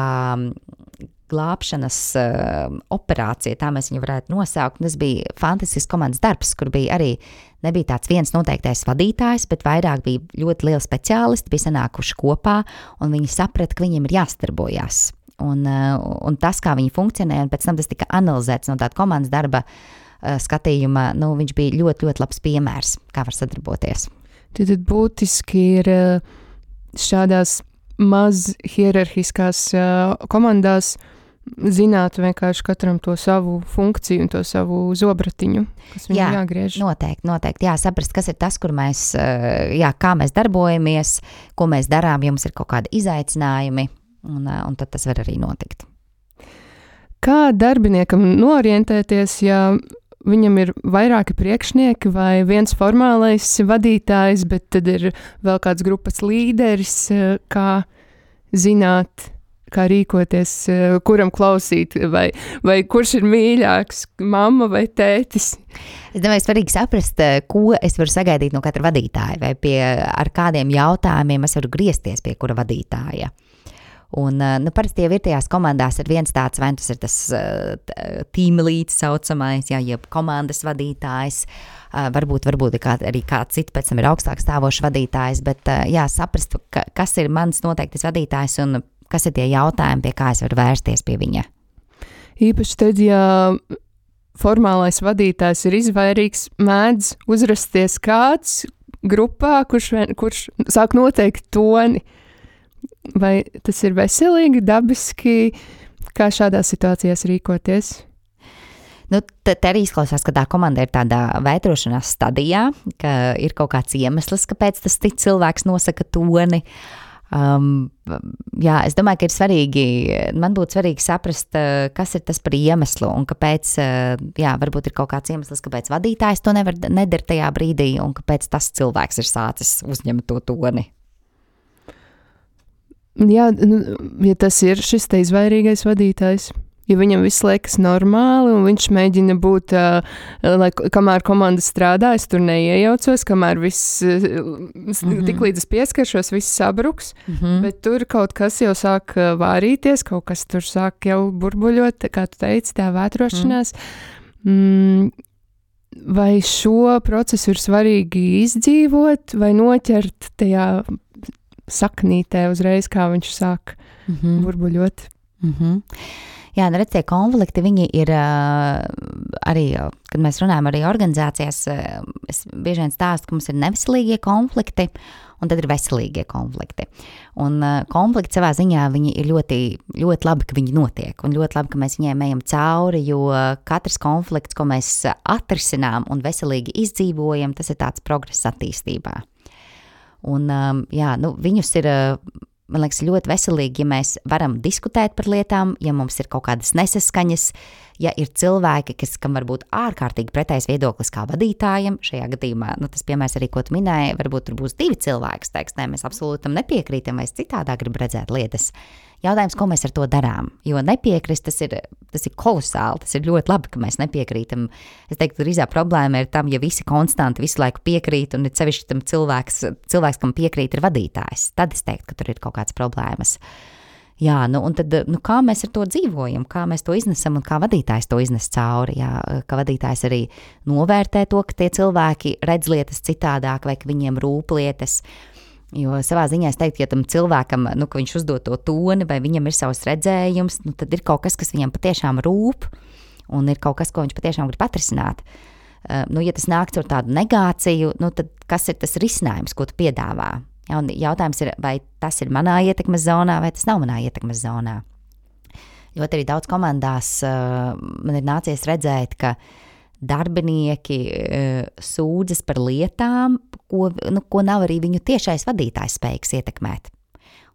glābšanas operācija, tā mēs viņu varētu nosaukt. Tas bija fantastisks komandas darbs, kur bija arī nebija tāds viens noteiktais vadītājs, bet vairāk bija ļoti lieli speciālisti, bija sanākuši kopā, un viņi saprata, ka viņiem ir jāstarbojas. Un tas, kā viņi funkcionē, un pēc tam tas tika analizēts no tāda komandas darba skatījuma, viņš bija ļoti, ļoti labs piemērs, kā var sadarboties. Tad būtiski ir šādās maz hierarhiskās komandās zināt vienkārši katram to savu funkciju un to savu zobratiņu, kas viņam jāgriež. Noteikti. Jā, saprast, kas ir tas, kur mēs, kā mēs darbojamies, ko mēs darām, ja mums ir kaut kādi izaicinājumi, un tad tas var arī notikt. Kā darbiniekam norientēties, ja viņam ir vairāki priekšnieki vai viens formālais vadītājs, bet tad ir vēl kāds grupas līderis, kā zināt, kā rīkoties, kuram klausīt, vai kurš ir mīļāks, mamma vai tētis? Es domāju, svarīgi saprast, ko es varu sagaidīt no katra vadītāja, vai ar kādiem jautājumiem es varu griezties pie kura vadītāja. Un, parasti jau ir tajās komandās ir viens tāds, vai tas ir tas team lead saucamais, jeb komandas vadītājs, varbūt arī kāds cits pēc tam ir augstāk stāvošs vadītājs, bet saprast, kas ir mans noteiktais vadītājs un kas ir tie jautājumi, pie kā es varu vērsties pie viņa. Īpaši tad, ja formālais vadītājs ir izvairīgs, mēdz uzrasties kāds grupā, kurš sāk noteikt toni. Vai tas ir veselīgi, dabiski, kā šādās situācijās rīkoties? Te arī izklausās, ka tā komanda ir tādā vētrošanās stadijā, ka ir kaut kāds iemesls, kāpēc tas cits cilvēks nosaka toni. Es domāju, ka ir svarīgi, man būtu svarīgi saprast, kas ir tas par iemeslu un kāpēc, varbūt ir kaut kāds iemesls, kāpēc vadītājs to nedara tajā brīdī un kāpēc tas cilvēks ir sācis uzņemt to toni. Jā, ja tas ir šis te izvairīgais vadītājs, ja viņam viss liekas normāli un viņš mēģina būt, kamēr komanda strādā, es tur neiejaucos, kamēr viss, tik līdz es pieskaršos, viss sabruks, bet tur kaut kas jau sāk vārīties, kaut kas tur sāk jau burbuļot, kā tu teici, tā vētrošanās. Vai šo procesu ir svarīgi izdzīvot vai noķert tajā saknītē uzreiz, kā viņš sāk burbuļot? Jā, redz, tie konflikti, viņi ir arī, kad mēs runājam arī organizācijās, es bieži vien stāstu, ka mums ir neveselīgie konflikti, un tad ir veselīgie konflikti. Un konflikti savā ziņā, viņi ir ļoti, ļoti labi, ka viņi notiek, un ļoti labi, ka mēs viņiem ejam cauri, jo katrs konflikts, ko mēs atrisinām un veselīgi izdzīvojam, tas ir tāds progress attīstībā. Un, viņus ir, man liekas, ļoti veselīgi, ja mēs varam diskutēt par lietām, ja mums ir kaut kādas nesaskaņas, ja ir cilvēki, kam var būt ārkārtīgi pretējs viedoklis kā vadītājiem, šajā gadījumā, tas piemērs arī, ko tu minēji, varbūt tur būs 2 cilvēki, teiks, mēs absolūti tam nepiekrītam, vai es citādā gribu redzēt lietas. Jautājums, ko mēs ar to darām? Jo nepiekrist, tas ir kolosāli, tas ir ļoti labi, ka mēs nepiekrītam. Es teiktu, drīzāk problēma ir tam, ja visi konstanti visu laiku piekrīt, un ir sevišķi tam cilvēks, kam piekrīt, ir vadītājs. Tad es teiktu, ka tur ir kaut kādas problēmas. Jā, un tad, kā mēs ar to dzīvojam, kā mēs to iznesam un kā vadītājs to iznes cauri, jā, kā vadītājs arī novērtē to, ka tie cilvēki redz lietas citādāk vai ka viņiem rūp lietas, jo savā ziņā es teiktu, ja tam cilvēkam, ka viņš uzdod to toni vai viņam ir savs redzējums, tad ir kaut kas viņam patiešām rūp un ir kaut kas, ko viņš patiešām grib atrisināt. Ja tas nāk ar tādu negāciju, tad kas ir tas risinājums, ko tu piedāvā? Ja, un jautājums ir, vai tas ir manā ietekmes zonā, vai tas nav manā ietekmes zonā. Ļoti arī daudz komandās man ir nācies redzēt, ka darbinieki sūdzas par lietām, ko nav arī viņu tiešais vadītājs spējīgs ietekmēt.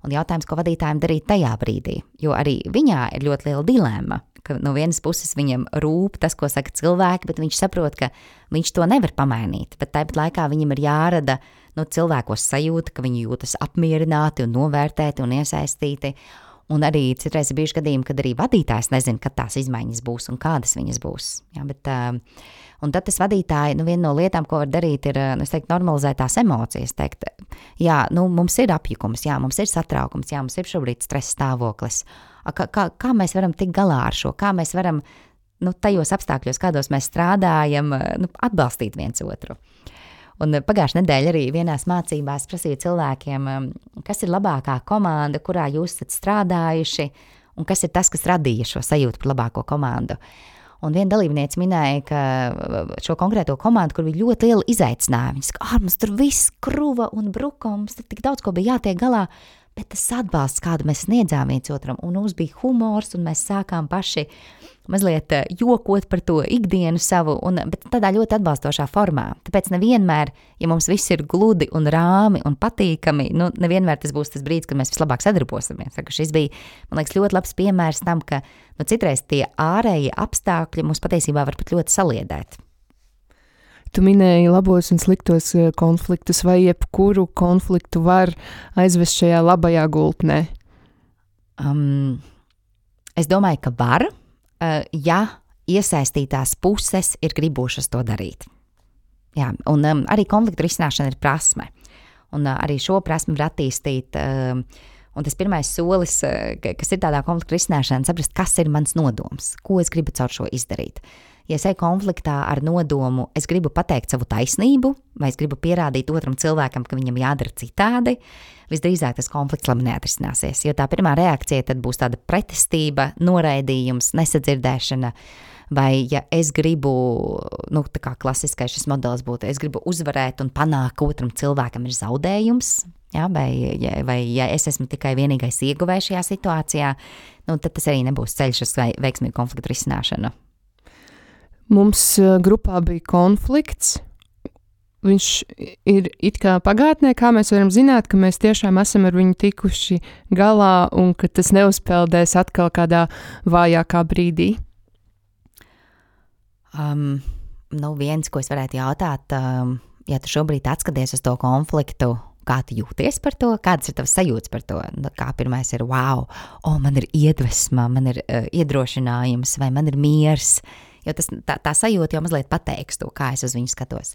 Un jautājums, ko vadītājiem darīt tajā brīdī, jo arī viņā ir ļoti liela dilemma, ka no vienas puses viņam rūp tas, ko saka cilvēki, bet viņš saprot, ka viņš to nevar pamainīt, bet tāpat laikā viņam ir jārada cilvēkos sajūta, ka viņi jūtas apmierināti un novērtēti un iesaistīti. Un arī citreiz ir bijuši gadījumi, kad arī vadītājs nezina, kad tās izmaiņas būs un kādas viņas būs. Ja, un tad tas vadītāji, viena no lietām, ko var darīt, ir, es teiktu, normalizēt tās emocijas. Teikt, jā, mums ir apjukums, jā, mums ir satraukums, jā, mums ir šobrīd stresa stāvoklis. Kā mēs varam tikt galā ar šo? Kā mēs varam tajos apstākļos, kādos mēs strādājam, atbalstīt viens otru? Un pagājušajā nedēļā arī vienās mācībās prasīju cilvēkiem, kas ir labākā komanda, kurā jūs esat strādājuši, un kas ir tas, kas radīja šo sajūtu par labāko komandu. Un viena dalībniece minēja, ka šo konkrēto komandu, kur bija ļoti liela izaicinājuma, viņa saka, mums tur viss kruva un bruka, mums tur tik daudz, ko bija jātiek galā, bet tas atbalsts, kādu mēs sniedzām viens otram, un mums bija humors, un mēs sākām paši mazliet jokot par to ikdienu savu, bet tādā ļoti atbalstošā formā. Tāpēc nevienmēr, ja mums viss ir gludi un rāmi un patīkami, nevienmēr tas būs tas brīdis, kad mēs vislabāk sadarbosimies. Šis bija, man liekas, ļoti labs piemērs tam, ka citreiz tie ārējie apstākļi mums patiesībā var pat ļoti saliedēt. Tu minēji labos un sliktos konfliktus, vai jebkuru konfliktu var aizvest šajā labajā gultnē? Es domāju, ka var, ja iesaistītās puses ir gribušas to darīt. Jā, un arī konfliktu risināšana ir prasme. Un arī šo prasmi var attīstīt. Un tas pirmais solis, kas ir tādā konfliktu risināšanā, saprast, kas ir mans nodoms, ko es gribu caur šo izdarīt. Ja es eju konfliktā ar nodomu, es gribu pateikt savu taisnību, vai es gribu pierādīt otram cilvēkam, ka viņam jādara citādi, visdrīzāk tas konflikts labi neatrisināsies. Jo tā pirmā reakcija tad būs tāda pretestība, noraidījums, nesadzirdēšana, vai ja es gribu, tā kā klasiskais šis modelis būtu, es gribu uzvarēt un panākt, ka otram cilvēkam ir zaudējums, ja, vai ja es esmu tikai vienīgais ieguvējs šajā situācijā, tad tas arī nebūs ceļš uz veiksmīgu konfliktu risināšanu. Mums grupā bija konflikts, viņš ir it kā pagātnē, kā mēs varam zināt, ka mēs tiešām esam ar viņu tikuši galā un ka tas neuzpeldēs atkal kādā vājākā brīdī. Viens, ko es varētu jautāt, ja tu šobrīd atskaties uz to konfliktu, kā tu jūties par to, kādas ir tavas sajūtas par to? Kā pirmais ir, wow, man ir iedvesma, man ir iedrošinājums vai man ir miers, jo tā sajūta jau mazliet pateiks to, kā es uz viņu skatos.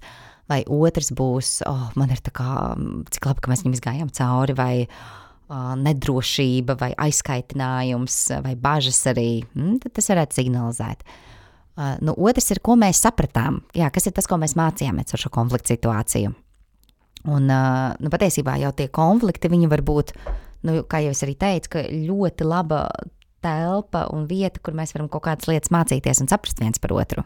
Vai otrs būs, man ir tā kā, cik labi, ka mēs viņam izgājām cauri, vai nedrošība, vai aizkaitinājums, vai bažas arī, tad tas varētu signalizēt. Otrs ir, ko mēs sapratām, kas ir tas, ko mēs mācījāmies ar šo konfliktu situāciju. Un patiesībā jau tie konflikti, viņi var būt, kā jau es arī teicu, ka ļoti laba telpa un vieta, kur mēs varam kaut kādas lietas mācīties un saprast viens par otru.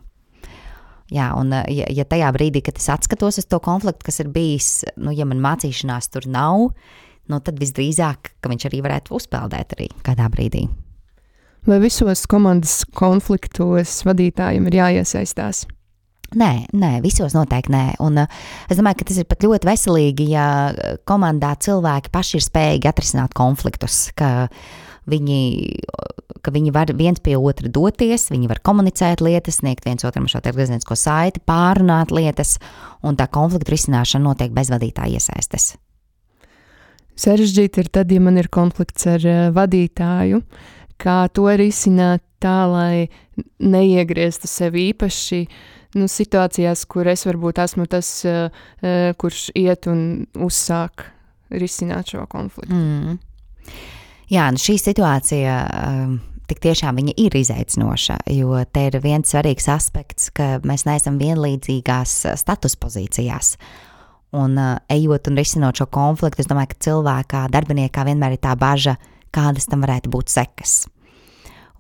Jā, un ja tajā brīdī, kad es atskatos uz to konfliktu, kas ir bijis, ja man mācīšanās tur nav, tad visdrīzāk, ka viņš arī varētu uzpeldēt arī kādā brīdī. Vai visos komandas konfliktos vadītājiem ir jāiesaistās? Nē, visos noteikti nē. Un es domāju, ka tas ir pat ļoti veselīgi, ja komandā cilvēki paši ir spējīgi atrisināt konfliktus, ka viņi var viens pie otra doties, viņi var komunicēt lietas, sniegt viens otram šo atgriezenisko saiti, pārunāt lietas, un tā konfliktu risināšana notiek bez vadītāja iesaistes. sarežģīti ir tad, ja man ir konflikts ar vadītāju, kā to risināt tā, lai neiegrieztu sevi īpaši situācijās, kur es varbūt esmu tas, kurš iet un uzsāk risināt šo konfliktu. Jā, šī situācija tik tiešām viņa ir izaicinoša, jo te ir viens svarīgs aspekts, ka mēs neesam vienlīdzīgās status pozīcijās. Un ejot un risinot šo konfliktu, es domāju, ka cilvēkā, darbiniekā vienmēr ir tā baža, kādas tam varētu būt sekas.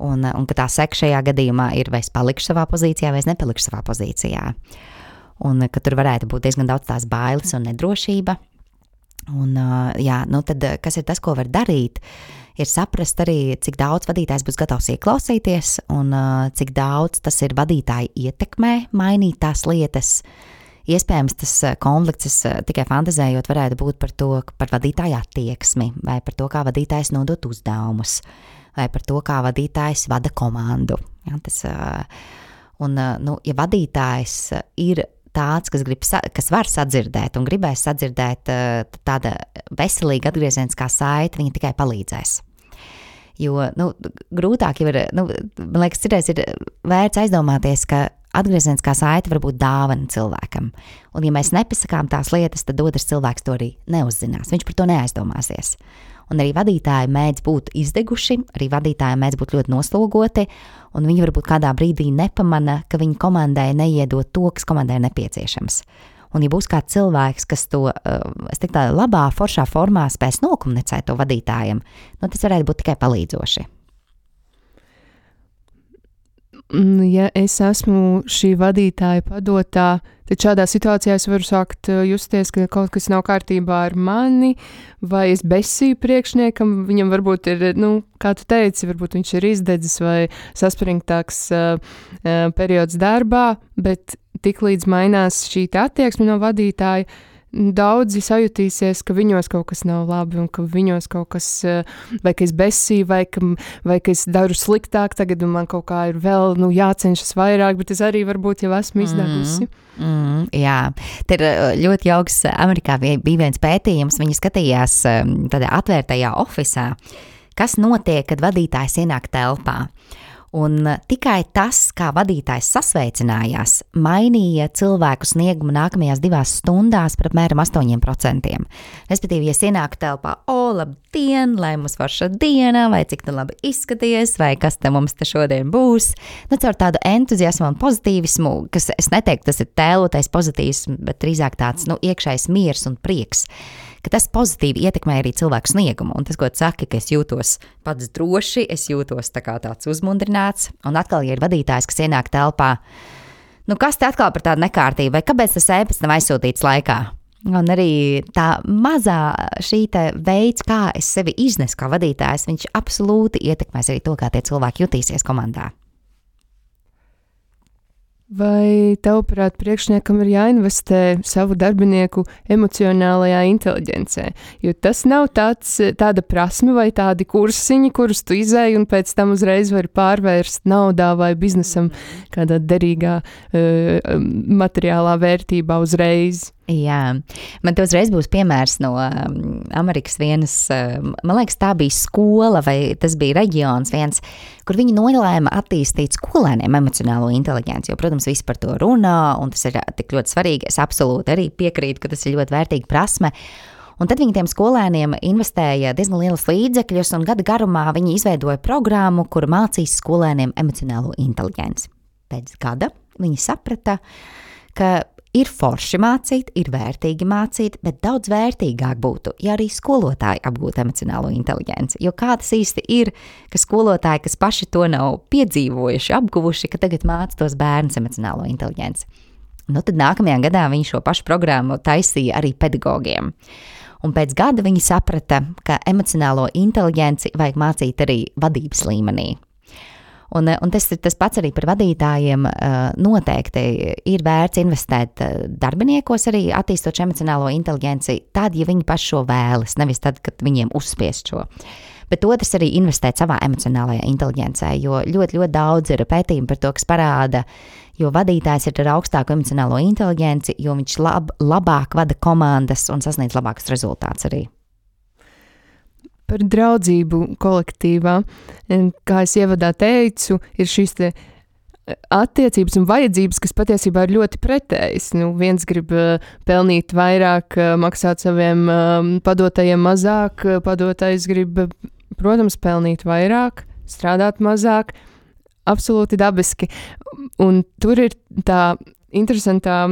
Un ka tā seka šajā gadījumā ir, vai es palikšu savā pozīcijā, vai es nepalikšu savā pozīcijā. Un ka tur varētu būt diezgan daudz tās bailes un nedrošība. Un tad kas ir tas, ko var darīt, ir saprast arī, cik daudz vadītājs būs gatavs ieklausīties un cik daudz tas ir vadītāja ietekmē mainīt tās lietas. Iespējams, tas konflikts, tikai fantazējot, varētu būt par vadītāja attieksmi, vai par to, kā vadītājs nodot uzdevumus, vai par to, kā vadītājs vada komandu. Ja, ja vadītājs ir tāds, kas var sadzirdēt un gribēs sadzirdēt tāda veselīga atgriezieniskā saite, viņa tikai palīdzēs. Jo, grūtāk jau ir, man liekas, citreiz ir vērts aizdomāties, ka atgriezieniskā saite var būt dāvana cilvēkam. Un ja mēs nepasakām tās lietas, tad otrs cilvēks to arī neuzzinās. Viņš par to neaizdomāsies. Un arī vadītāji mēdz būt izdeguši, arī vadītāji mēdz būt ļoti noslogoti, un viņi varbūt kādā brīdī nepamana, ka viņa komandai neiedod to, kas komandai ir nepieciešams. Un ja būs kāds cilvēks, kas to, es teiktu, tādā labā, foršā formā spēs nokomunicēt to vadītājiem, tas varētu būt tikai palīdzoši. Ja es esmu šī vadītāja padotā, tad šādā situācijā es varu sākt justies, ka kaut kas nav kārtībā ar mani, vai es besīju priekšniekam, viņam varbūt ir, kā tu teici, varbūt viņš ir izdedzis vai saspringtāks periods darbā, bet tiklīdz mainās šī attieksme no vadītāja, daudzi sajutīsies, ka viņos kaut kas nav labi un ka viņos kaut kas, vai ka es besīju, vai ka es daru sliktāk tagad un man kaut kā ir vēl, jācenšas vairāk, bet es arī varbūt jau esmu izdegusi. Jā, te ir ļoti jauks, Amerikā bija viens pētījums, viņi skatījās tādā atvērtajā ofisā, kas notiek, kad vadītājs ienāk telpā. Un tikai tas, kā vadītājs sasveicinājās, mainīja cilvēku sniegumu nākamajās 2 stundās par apmēram 8%. Respektīvi, ja es ienāku telpā, labdien, lai mums forša diena, vai cik tu labi izskaties, vai kas te mums te šodien būs. Caur tādu entuziasmu un pozitīvismu, kas es neteiktu, tas ir tēlotais pozitīvisms, bet drīzāk tāds iekšējs miers un prieks. Ka tas pozitīvi ietekmē arī cilvēku sniegumu. Un tas, ko tu saki, ka es jūtos pats droši, es jūtos tāds uzmundrināts. Un atkal, ja ir vadītājs, kas ienāk telpā, kas te atkal par tādu nekārtību, vai kāpēc tas ēpasts nav aizsūtīts laikā? Un arī tā mazā šī veids, kā es sevi iznesu kā vadītājs, viņš absolūti ietekmēs arī to, kā tie cilvēki jutīsies komandā. Vai tavuprāt priekšniekam ir jāinvestē savu darbinieku emocionālajā inteliģencē? Jo tas nav tāda prasme vai tādi kursiņi, kurus tu izēji un pēc tam uzreiz vari pārvērst naudā vai biznesam kādā derīgā materiālā vērtībā uzreiz. Jā, man te uzreiz būs piemērs no Amerikas vienas, man liekas, tā bija skola vai tas bija reģions viens, kur viņi nolēma attīstīt skolēniem emocionālo inteliģenci, jo, protams, visi par to runā, un tas ir tik ļoti svarīgi. Es absolūti arī piekrītu, ka tas ir ļoti vērtīga prasme. Un tad viņi tiem skolēniem investēja diezgan lielas līdzekļus, un gada garumā viņi izveidoja programmu, kur mācīs skolēniem emocionālo inteliģenci. Pēc gada viņi saprata, ka ir forši mācīt, ir vērtīgi mācīt, bet daudz vērtīgāk būtu, ja arī skolotāji apgūtu emocionālo inteliģenci. Jo kā tas īsti ir, ka skolotāji, kas paši to nav piedzīvojuši, apguvuši, ka tagad māca tos bērnus emocionālo inteliģenci. Tad nākamajā gadā viņi šo pašu programmu taisīja arī pedagogiem. Un pēc gada viņi saprata, ka emocionālo inteliģenci vajag mācīt arī vadības līmenī. Un tas pats arī par vadītājiem noteikti ir vērts investēt darbiniekos arī attīstot emocionālo inteliģenci tad, ja viņi paši šo vēlas, nevis tad, kad viņiem uzspiest šo. Bet otrs arī investēt savā emocionālajā inteliģencē, jo ļoti, ļoti daudz ir pētījumi par to, kas parāda, jo vadītājs ir ar augstāku emocionālo inteliģenci, jo viņš labāk vada komandas un sasniedz labākus rezultātus arī. par draudzību kolektīvā. Kā es ievadā teicu, ir šīs te attiecības un vajadzības, kas patiesībā ir ļoti pretējas. Viens grib pelnīt vairāk, maksāt saviem padotajiem mazāk, padotais grib, protams, pelnīt vairāk, strādāt mazāk, absolūti dabiski. Un tur ir tā interesantā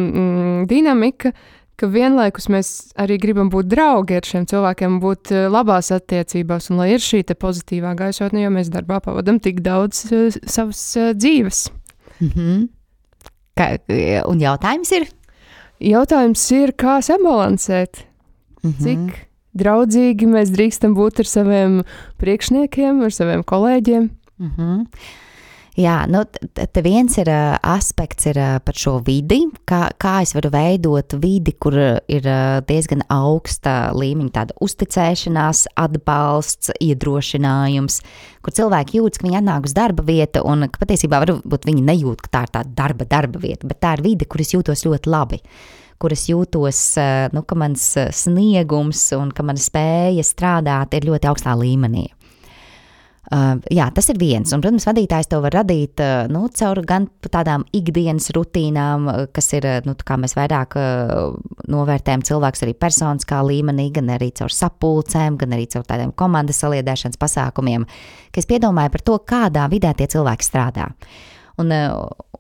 dinamika, ka vienlaikus mēs arī gribam būt draugi ar šiem cilvēkiem, būt labās attiecībās, un lai ir šī te pozitīvā gaisotne, jo mēs darbā pavadam tik daudz savas dzīves. Un jautājums ir? Jautājums ir, kā sabalansēt? Cik draudzīgi mēs drīkstam būt ar saviem priekšniekiem, ar saviem kolēģiem? Jā, te viens ir aspekts ir par šo vidi, kā es varu veidot vidi, kur ir diezgan augsta līmeņa tāda uzticēšanās, atbalsts, iedrošinājums, kur cilvēki jūtas, ka viņi atnāk uz darba vietu un ka patiesībā varbūt viņi nejūt, ka tā ir tā darba vieta, bet tā ir vide, kur es jūtos ļoti labi, kur es jūtos, ka mans sniegums un ka mana spēja strādāt ir ļoti augstā līmenī. Jā, tas ir viens, un, protams, vadītājs to var radīt, caur gan tādām ikdienas rutīnām, kas ir, kā mēs vairāk novērtējam cilvēks arī personiskā līmenī, gan arī caur sapulcēm, gan arī caur tādiem komandas saliedēšanas pasākumiem, ka es piedomāju par to, kādā vidē tie cilvēki strādā. Un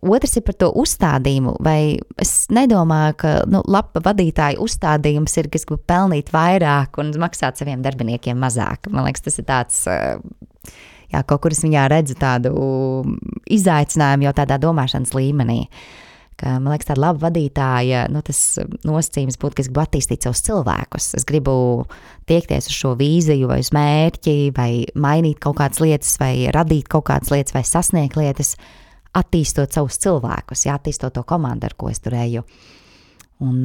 otrs ir par to uzstādījumu, vai es nedomāju, ka laba vadītāja uzstādījums ir, ka es gribu pelnīt vairāk un maksāt saviem darbiniekiem mazāk. Man liekas, tas ir tāds, kaut kur es viņā redzu tādu izaicinājumu jau tādā domāšanas līmenī. Ka, man liekas, tāda laba vadītāja, tas nosacījums būtu, ka es gribu attīstīt savus cilvēkus. Es gribu tiekties uz šo vīziju vai uz mērķi, vai mainīt kaut kādas lietas, vai radīt kaut kādas lietas, vai sasniegt lietas, attīstot savus cilvēkus, attīstot to komandu, ar ko es tur eju. Un,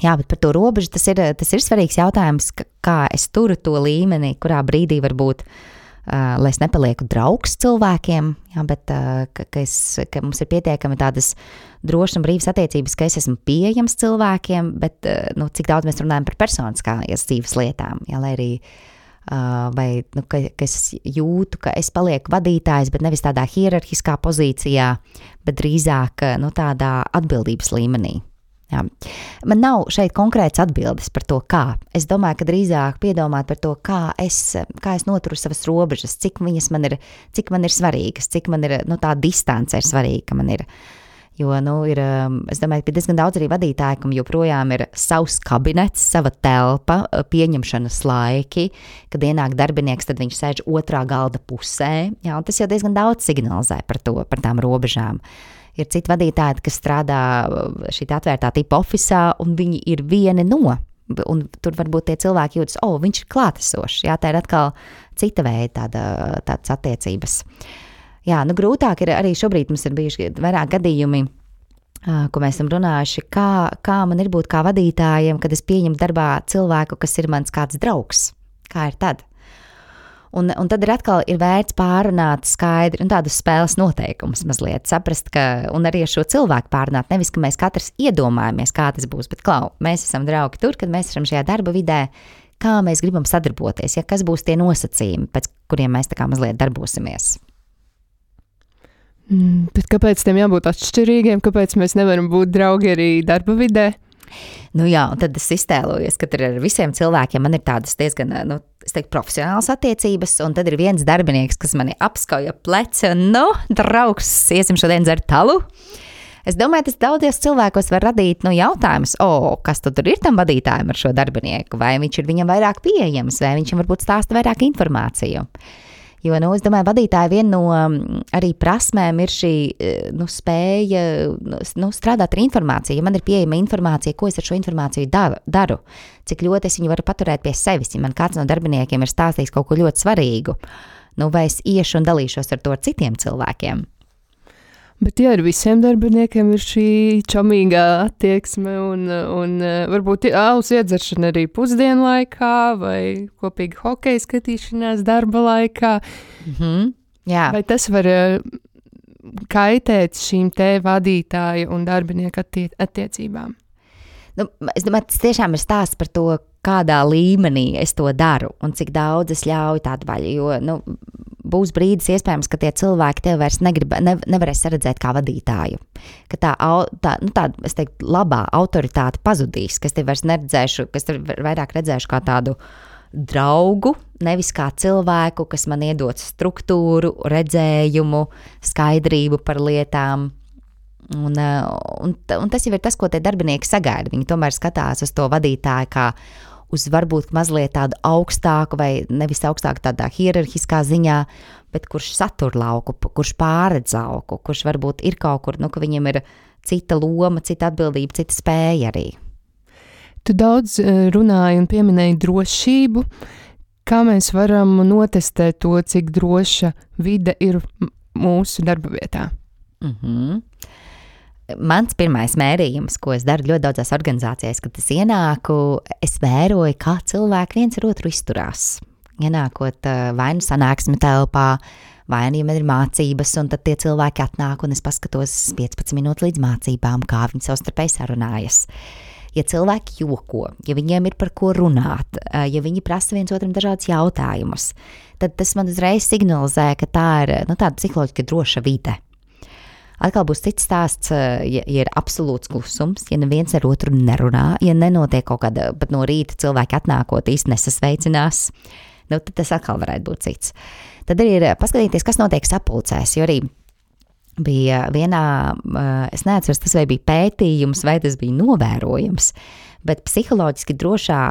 bet par to robežu tas ir svarīgs jautājums, kā es turu to līmeni, kurā brīdī varbūt, lai es nepalieku draugs cilvēkiem, bet ka mums ir pietiekami tādas drošas un brīvas attiecības, ka es esmu pieejams cilvēkiem, bet cik daudz mēs runājam par personiskās dzīves lietām, lai arī ka es jūtu, ka es palieku vadītājs, bet nevis tādā hierarhiskā pozīcijā, bet drīzāk tādā atbildības līmenī. Jā. Man nav šeit konkrēts atbildes par to, kā. Es domāju, ka drīzāk piedomāt par to, kā es noturu savas robežas, cik man ir svarīgas, cik man ir tā distance ir svarīga, man ir. Jo, es domāju, ka diezgan daudz arī vadītāji, kam joprojām ir savs kabinets, sava telpa, pieņemšanas laiki, kad ienāk darbinieks, tad viņš sēž otrā galda pusē, un tas jau diezgan daudz signalizē par tām robežām. Ir citi vadītāji, kas strādā šī atvērtā tipa ofisā, un viņi ir vieni no, un tur varbūt tie cilvēki jūtas, viņš ir klātesošs, tā ir atkal cita veida tādas attiecības. Jā, grūtāk ir arī šobrīd mums ir bijuši vairāk gadījumi, ko mēs esam runājuši, kā man ir būt kā vadītājiem, kad es pieņemu darbā cilvēku, kas ir mans kāds draugs. Kā ir tad? Un tad ir atkal vērts pārunāt skaidri un tādus spēles noteikumus mazliet, saprast, un arī ar šo cilvēku pārunāt, nevis, ka mēs katrs iedomājamies, kā tas būs, bet mēs esam draugi tur, kad mēs esam šajā darba vidē, kā mēs gribam sadarboties, kas būs tie nosacījumi, pēc kuriem mēs tā kā mazliet darbosimies. Bet kāpēc tiem jābūt atšķirīgiem? Kāpēc mēs nevaram būt draugi arī darba vidē? Un tad es iztēlojos, ka ar visiem cilvēkiem man ir tādas diezgan, profesionālas attiecības, un tad ir viens darbinieks, kas mani apskauja pleci, un, draugs, iesim šodien dzert talu. Es domāju, tas daudzies cilvēkos var radīt jautājumus, kas tad tur ir tam vadītājam ar šo darbinieku, vai viņš ir viņam vairāk pieejams, vai viņš varbūt stāsta vairāk informāciju. Jo, es domāju, vadītāja viena no arī prasmēm ir šī spēja strādāt ar informāciju. Ja man ir pieejama informācija, ko es ar šo informāciju daru, cik ļoti es viņu varu paturēt pie sevis, ja man kāds no darbiniekiem ir stāstījis kaut ko ļoti svarīgu, vai es iešu un dalīšos ar to ar citiem cilvēkiem. Bet ja ar visiem darbiniekiem ir šī čomīgā attieksme un varbūt alus iedzeršana arī pusdienu laikā vai kopīgi hokeja skatīšanās darba laikā, Jā. Vai tas var kaitēt šīm te vadītāju un darbinieku attiecībām? Es domāju, tas tiešām ir stāsts par to, kādā līmenī es to daru un cik daudz es ļauju tādu vaļu, jo, būs brīdis iespējams, ka tie cilvēki tev vairs nevarēs redzēt kā vadītāju, ka tā, es teiktu, labā autoritāte pazudīs, ka es tev vairs neredzēšu, ka es tev vairāk redzēšu kā tādu draugu, nevis kā cilvēku, kas man iedod struktūru, redzējumu, skaidrību par lietām. Un tas jau ir tas, ko tie darbinieki sagaida. Viņi tomēr skatās uz to vadītāju kā uz varbūt mazliet tādu augstāku vai nevis augstāku tādā hierarhiskā ziņā, bet kurš satur lauku, kurš pāredz lauku, kurš varbūt ir kaut kur, ka viņam ir cita loma, cita atbildība, cita spēja arī. Tu daudz runāji un pieminēji drošību. Kā mēs varam notestēt to, cik droša vide ir mūsu darba vietā? Mans pirmais mērījums, ko es daru ļoti daudzās organizācijās, kad es ienāku, es vēroju, kā cilvēki viens ar otru izturās. Ienākot vai nu sanāksmi telpā, vai nu, ja man ir mācības, un tad tie cilvēki atnāk, un es paskatos 15 minūtes līdz mācībām, kā viņi savstarpēji sarunājas. Ja cilvēki joko, ja viņiem ir par ko runāt, ja viņi prasa viens otram dažādus jautājumus, tad tas man uzreiz signalizē, ka tā ir tāda psiholoģiski droša vide. Atkal būs cits stāsts, ja ir absolūts klusums, ja neviens ar otru nerunā, ja nenotiek kaut kāda, pat no rīta cilvēki atnākot īsti nesasveicinās, tad tas atkal varētu būt cits. Tad arī ir paskatīties, kas notiek sapulcēs, jo arī bija vienā, es neatceros, tas vai bija pētījums, vai tas bija novērojums, bet psiholoģiski drošā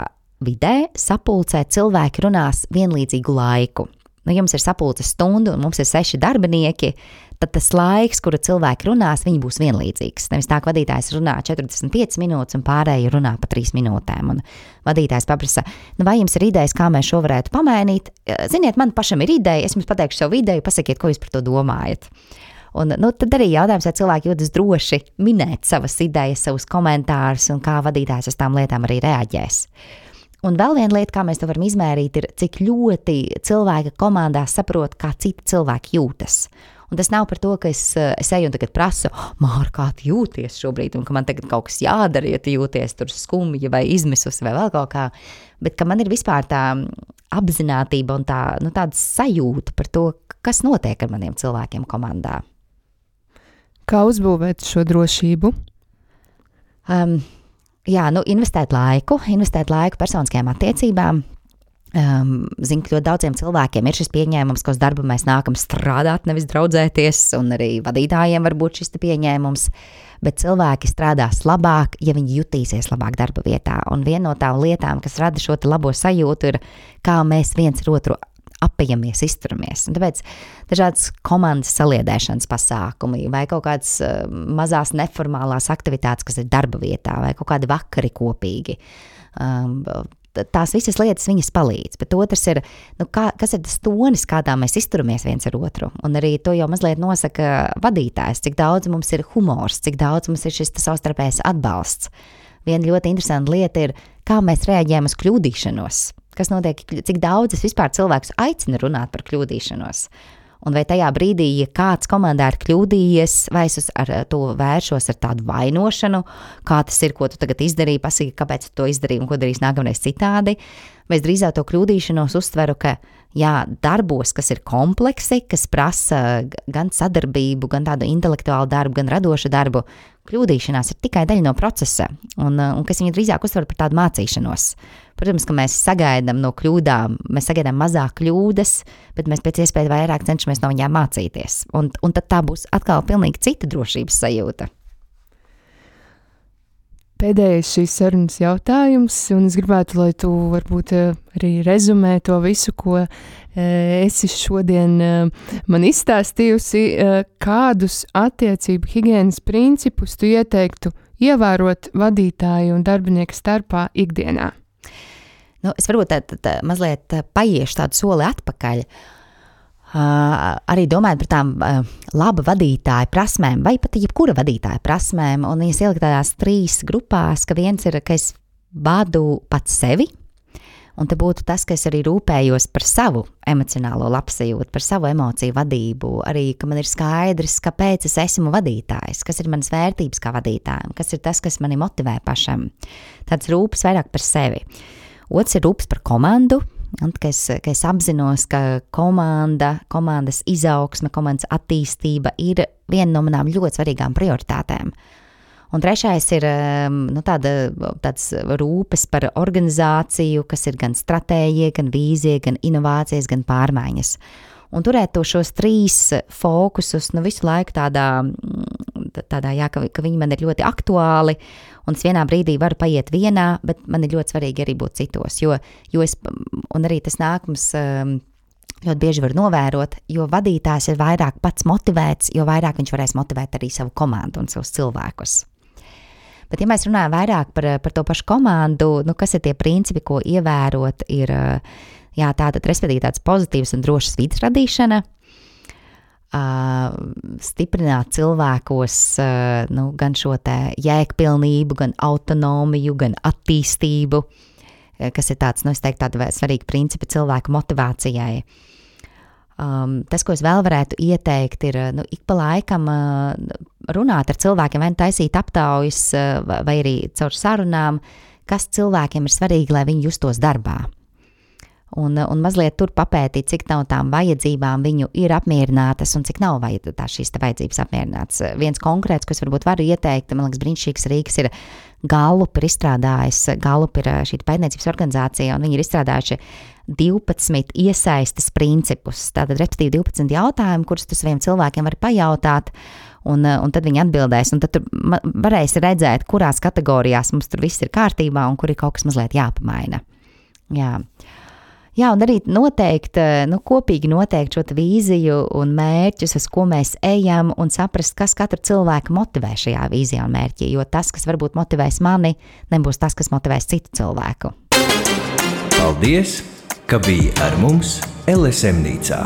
vidē sapulcē cilvēki runās vienlīdzīgu laiku. Jums ir sapulces stunda un mums ir 6 darbinieki, tad tas laiks, kura cilvēki runās, viņi būs vienlīdzīgs. Nevis tā, ka vadītājs runā 45 minūtes un pārējie runā pa 3 minūtēm. Un vadītājs paprasa, vai jums ir idejas, kā mēs šo varētu pamainīt? Ziniet, man pašam ir ideja, es jums pateikšu savu ideju, pasakiet, ko jūs par to domājat. Un tad arī jautājums, vai cilvēki jūtas droši minēt savas idejas, savus komentārus un kā vadītājs uz tām lietām arī reaģēs. Un vēl viena lieta, kā mēs to varam izmērīt, ir, cik ļoti cilvēka komandā saprot, kā citi cilvēki jūtas. Un tas nav par to, ka es eju un tagad prasu, Māra, kā tu jūties šobrīd, un ka man tagad kaut kas jādara, ja tu jūties tur skumji vai izmisusi vai vēl kaut kā, bet ka man ir vispār tā apzinātība un tāda sajūta par to, kas notiek ar maniem cilvēkiem komandā. Kā uzbūvēt šo drošību? Investēt laiku personiskajām attiecībām. Zinu, ka ļoti daudziem cilvēkiem ir šis pieņēmums, ka uz darbu mēs nākam strādāt, nevis draudzēties, un arī vadītājiem var būt šis pieņēmums, bet cilvēki strādās labāk, ja viņi jutīsies labāk darba vietā. Un viena no tām lietām, kas rada šo labo sajūtu, ir, kā mēs viens ar otru apējamies, izturamies. Un tāpēc dažādas komandas saliedēšanas pasākumi vai kaut kādas mazās neformālās aktivitātes, kas ir darba vietā, vai kaut kādi vakari kopīgi. Tās visas lietas viņas palīdz, bet otrs ir, kas ir tas tonis, kādā mēs izturamies viens ar otru. Un arī to jau mazliet nosaka vadītājs, cik daudz mums ir humors, cik daudz mums ir šis savstarpējs atbalsts. Viena ļoti interesanta lieta ir, kā mēs reaģējam uz kļūdīšanos. Kas notiek, cik daudz es vispār cilvēkus aicinu runāt par kļūdīšanos. Un vai tajā brīdī, ja kāds komandā ir kļūdījies, vai es ar to vēršos ar tādu vainošanu, kā tas ir, ko tu tagad izdarīji, pasaki, kāpēc tu to izdarīji un ko darīs nākamreiz citādi, vai es drīzāk to kļūdīšanos uztveru, ka darbos, kas ir kompleksi, kas prasa gan sadarbību, gan tādu intelektuālu darbu, gan radošu darbu, kļūdīšanās ir tikai daļa no procesa, un kas viņu drīzāk uztver par tādu mācīšanos. Protams, ka mēs sagaidām no kļūdām, mēs sagaidām mazāk kļūdas, bet mēs pēc iespējas vairāk cenšamies no viņām mācīties. Un tad tā būs atkal pilnīgi cita drošības sajūta. Pēdējais šīs sarunas jautājums, un es gribētu, lai tu varbūt arī rezumē to visu, ko esi šodien man izstāstījusi, kādus attiecību higienas principus tu ieteiktu ievērot vadītāju un darbinieku starpā ikdienā. Es varbūt mazliet paiešu tādu soli atpakaļ, arī domājot par tām laba vadītāja prasmēm, vai pat jebkura vadītāja prasmēm, un es ieliku tādās 3 grupās, ka viens ir, ka es vadu pats sevi, Un te būtu tas, ka es arī rūpējos par savu emocionālo labsajūtu, par savu emociju vadību, arī, ka man ir skaidrs, kāpēc es esmu vadītājs, kas ir manas vērtības kā vadītājam, kas ir tas, kas mani motivē pašam. Tāds rūpes vairāk par sevi. Otrs ir rūpes par komandu, un ka es apzinos, ka komandas izaugsme, komandas attīstība ir viena no manām ļoti svarīgām prioritātēm. Un trešais ir tāds rūpes par organizāciju, kas ir gan stratēģija, gan vīzija, gan inovācijas, gan pārmaiņas. Un turēt šos 3 fokusus visu laiku tādā jā, ka viņi man ir ļoti aktuāli, un es vienā brīdī varu paiet vienā, bet man ir ļoti svarīgi arī būt citos, jo es, un arī tas nākums ļoti bieži var novērot, jo vadītājs ir vairāk pats motivēts, jo vairāk viņš varēs motivēt arī savu komandu un savus cilvēkus. Bet, ja mēs runājam vairāk par to pašu komandu, kas ir tie principi, ko ievērot, ir respektīvi tāds pozitīvs un drošs vides radīšana, stiprināt cilvēkos gan šo te jēgpilnību, gan autonomiju, gan attīstību, kas ir tāds, es teiktu, tādi svarīgi principi cilvēku motivācijai. Tas, ko es vēl varētu ieteikt, ir ik pa laikam runāt ar cilvēkiem, vai taisīt aptaujas, vai arī caur sarunām, kas cilvēkiem ir svarīgi, lai viņi justos darbā. Un mazliet tur papētīt, cik nav tām vajadzībām viņu ir apmierinātas un cik nav šīs vajadzības apmierinātas. Viens konkrēts, ko es varbūt varu ieteikt, man liekas brīnišķīgs rīks, ir Gallup ir izstrādājis, Gallup ir šī pētniecības organizācija, un viņi ir izstrādājuši 12 iesaistes principus. Tātad, respektīvi 12 jautājumu, kurus tu saviem cilvēkiem vari pajautāt, un tad viņi atbildēs, un tad tu varēsi redzēt, kurās kategorijās mums tur viss ir kārtībā, un kur ir kaut kas mazliet jāpamaina. Jā, un arī kopīgi noteikt šo vīziju un mērķus, uz ko mēs ejam, un saprast, kas katru cilvēku motivē šajā vīzijā un mērķī, jo tas, kas varbūt motivēs mani, nebūs tas, kas motivēs citu cilvēku. Paldies, ka biji ar mums LSM-nīcā!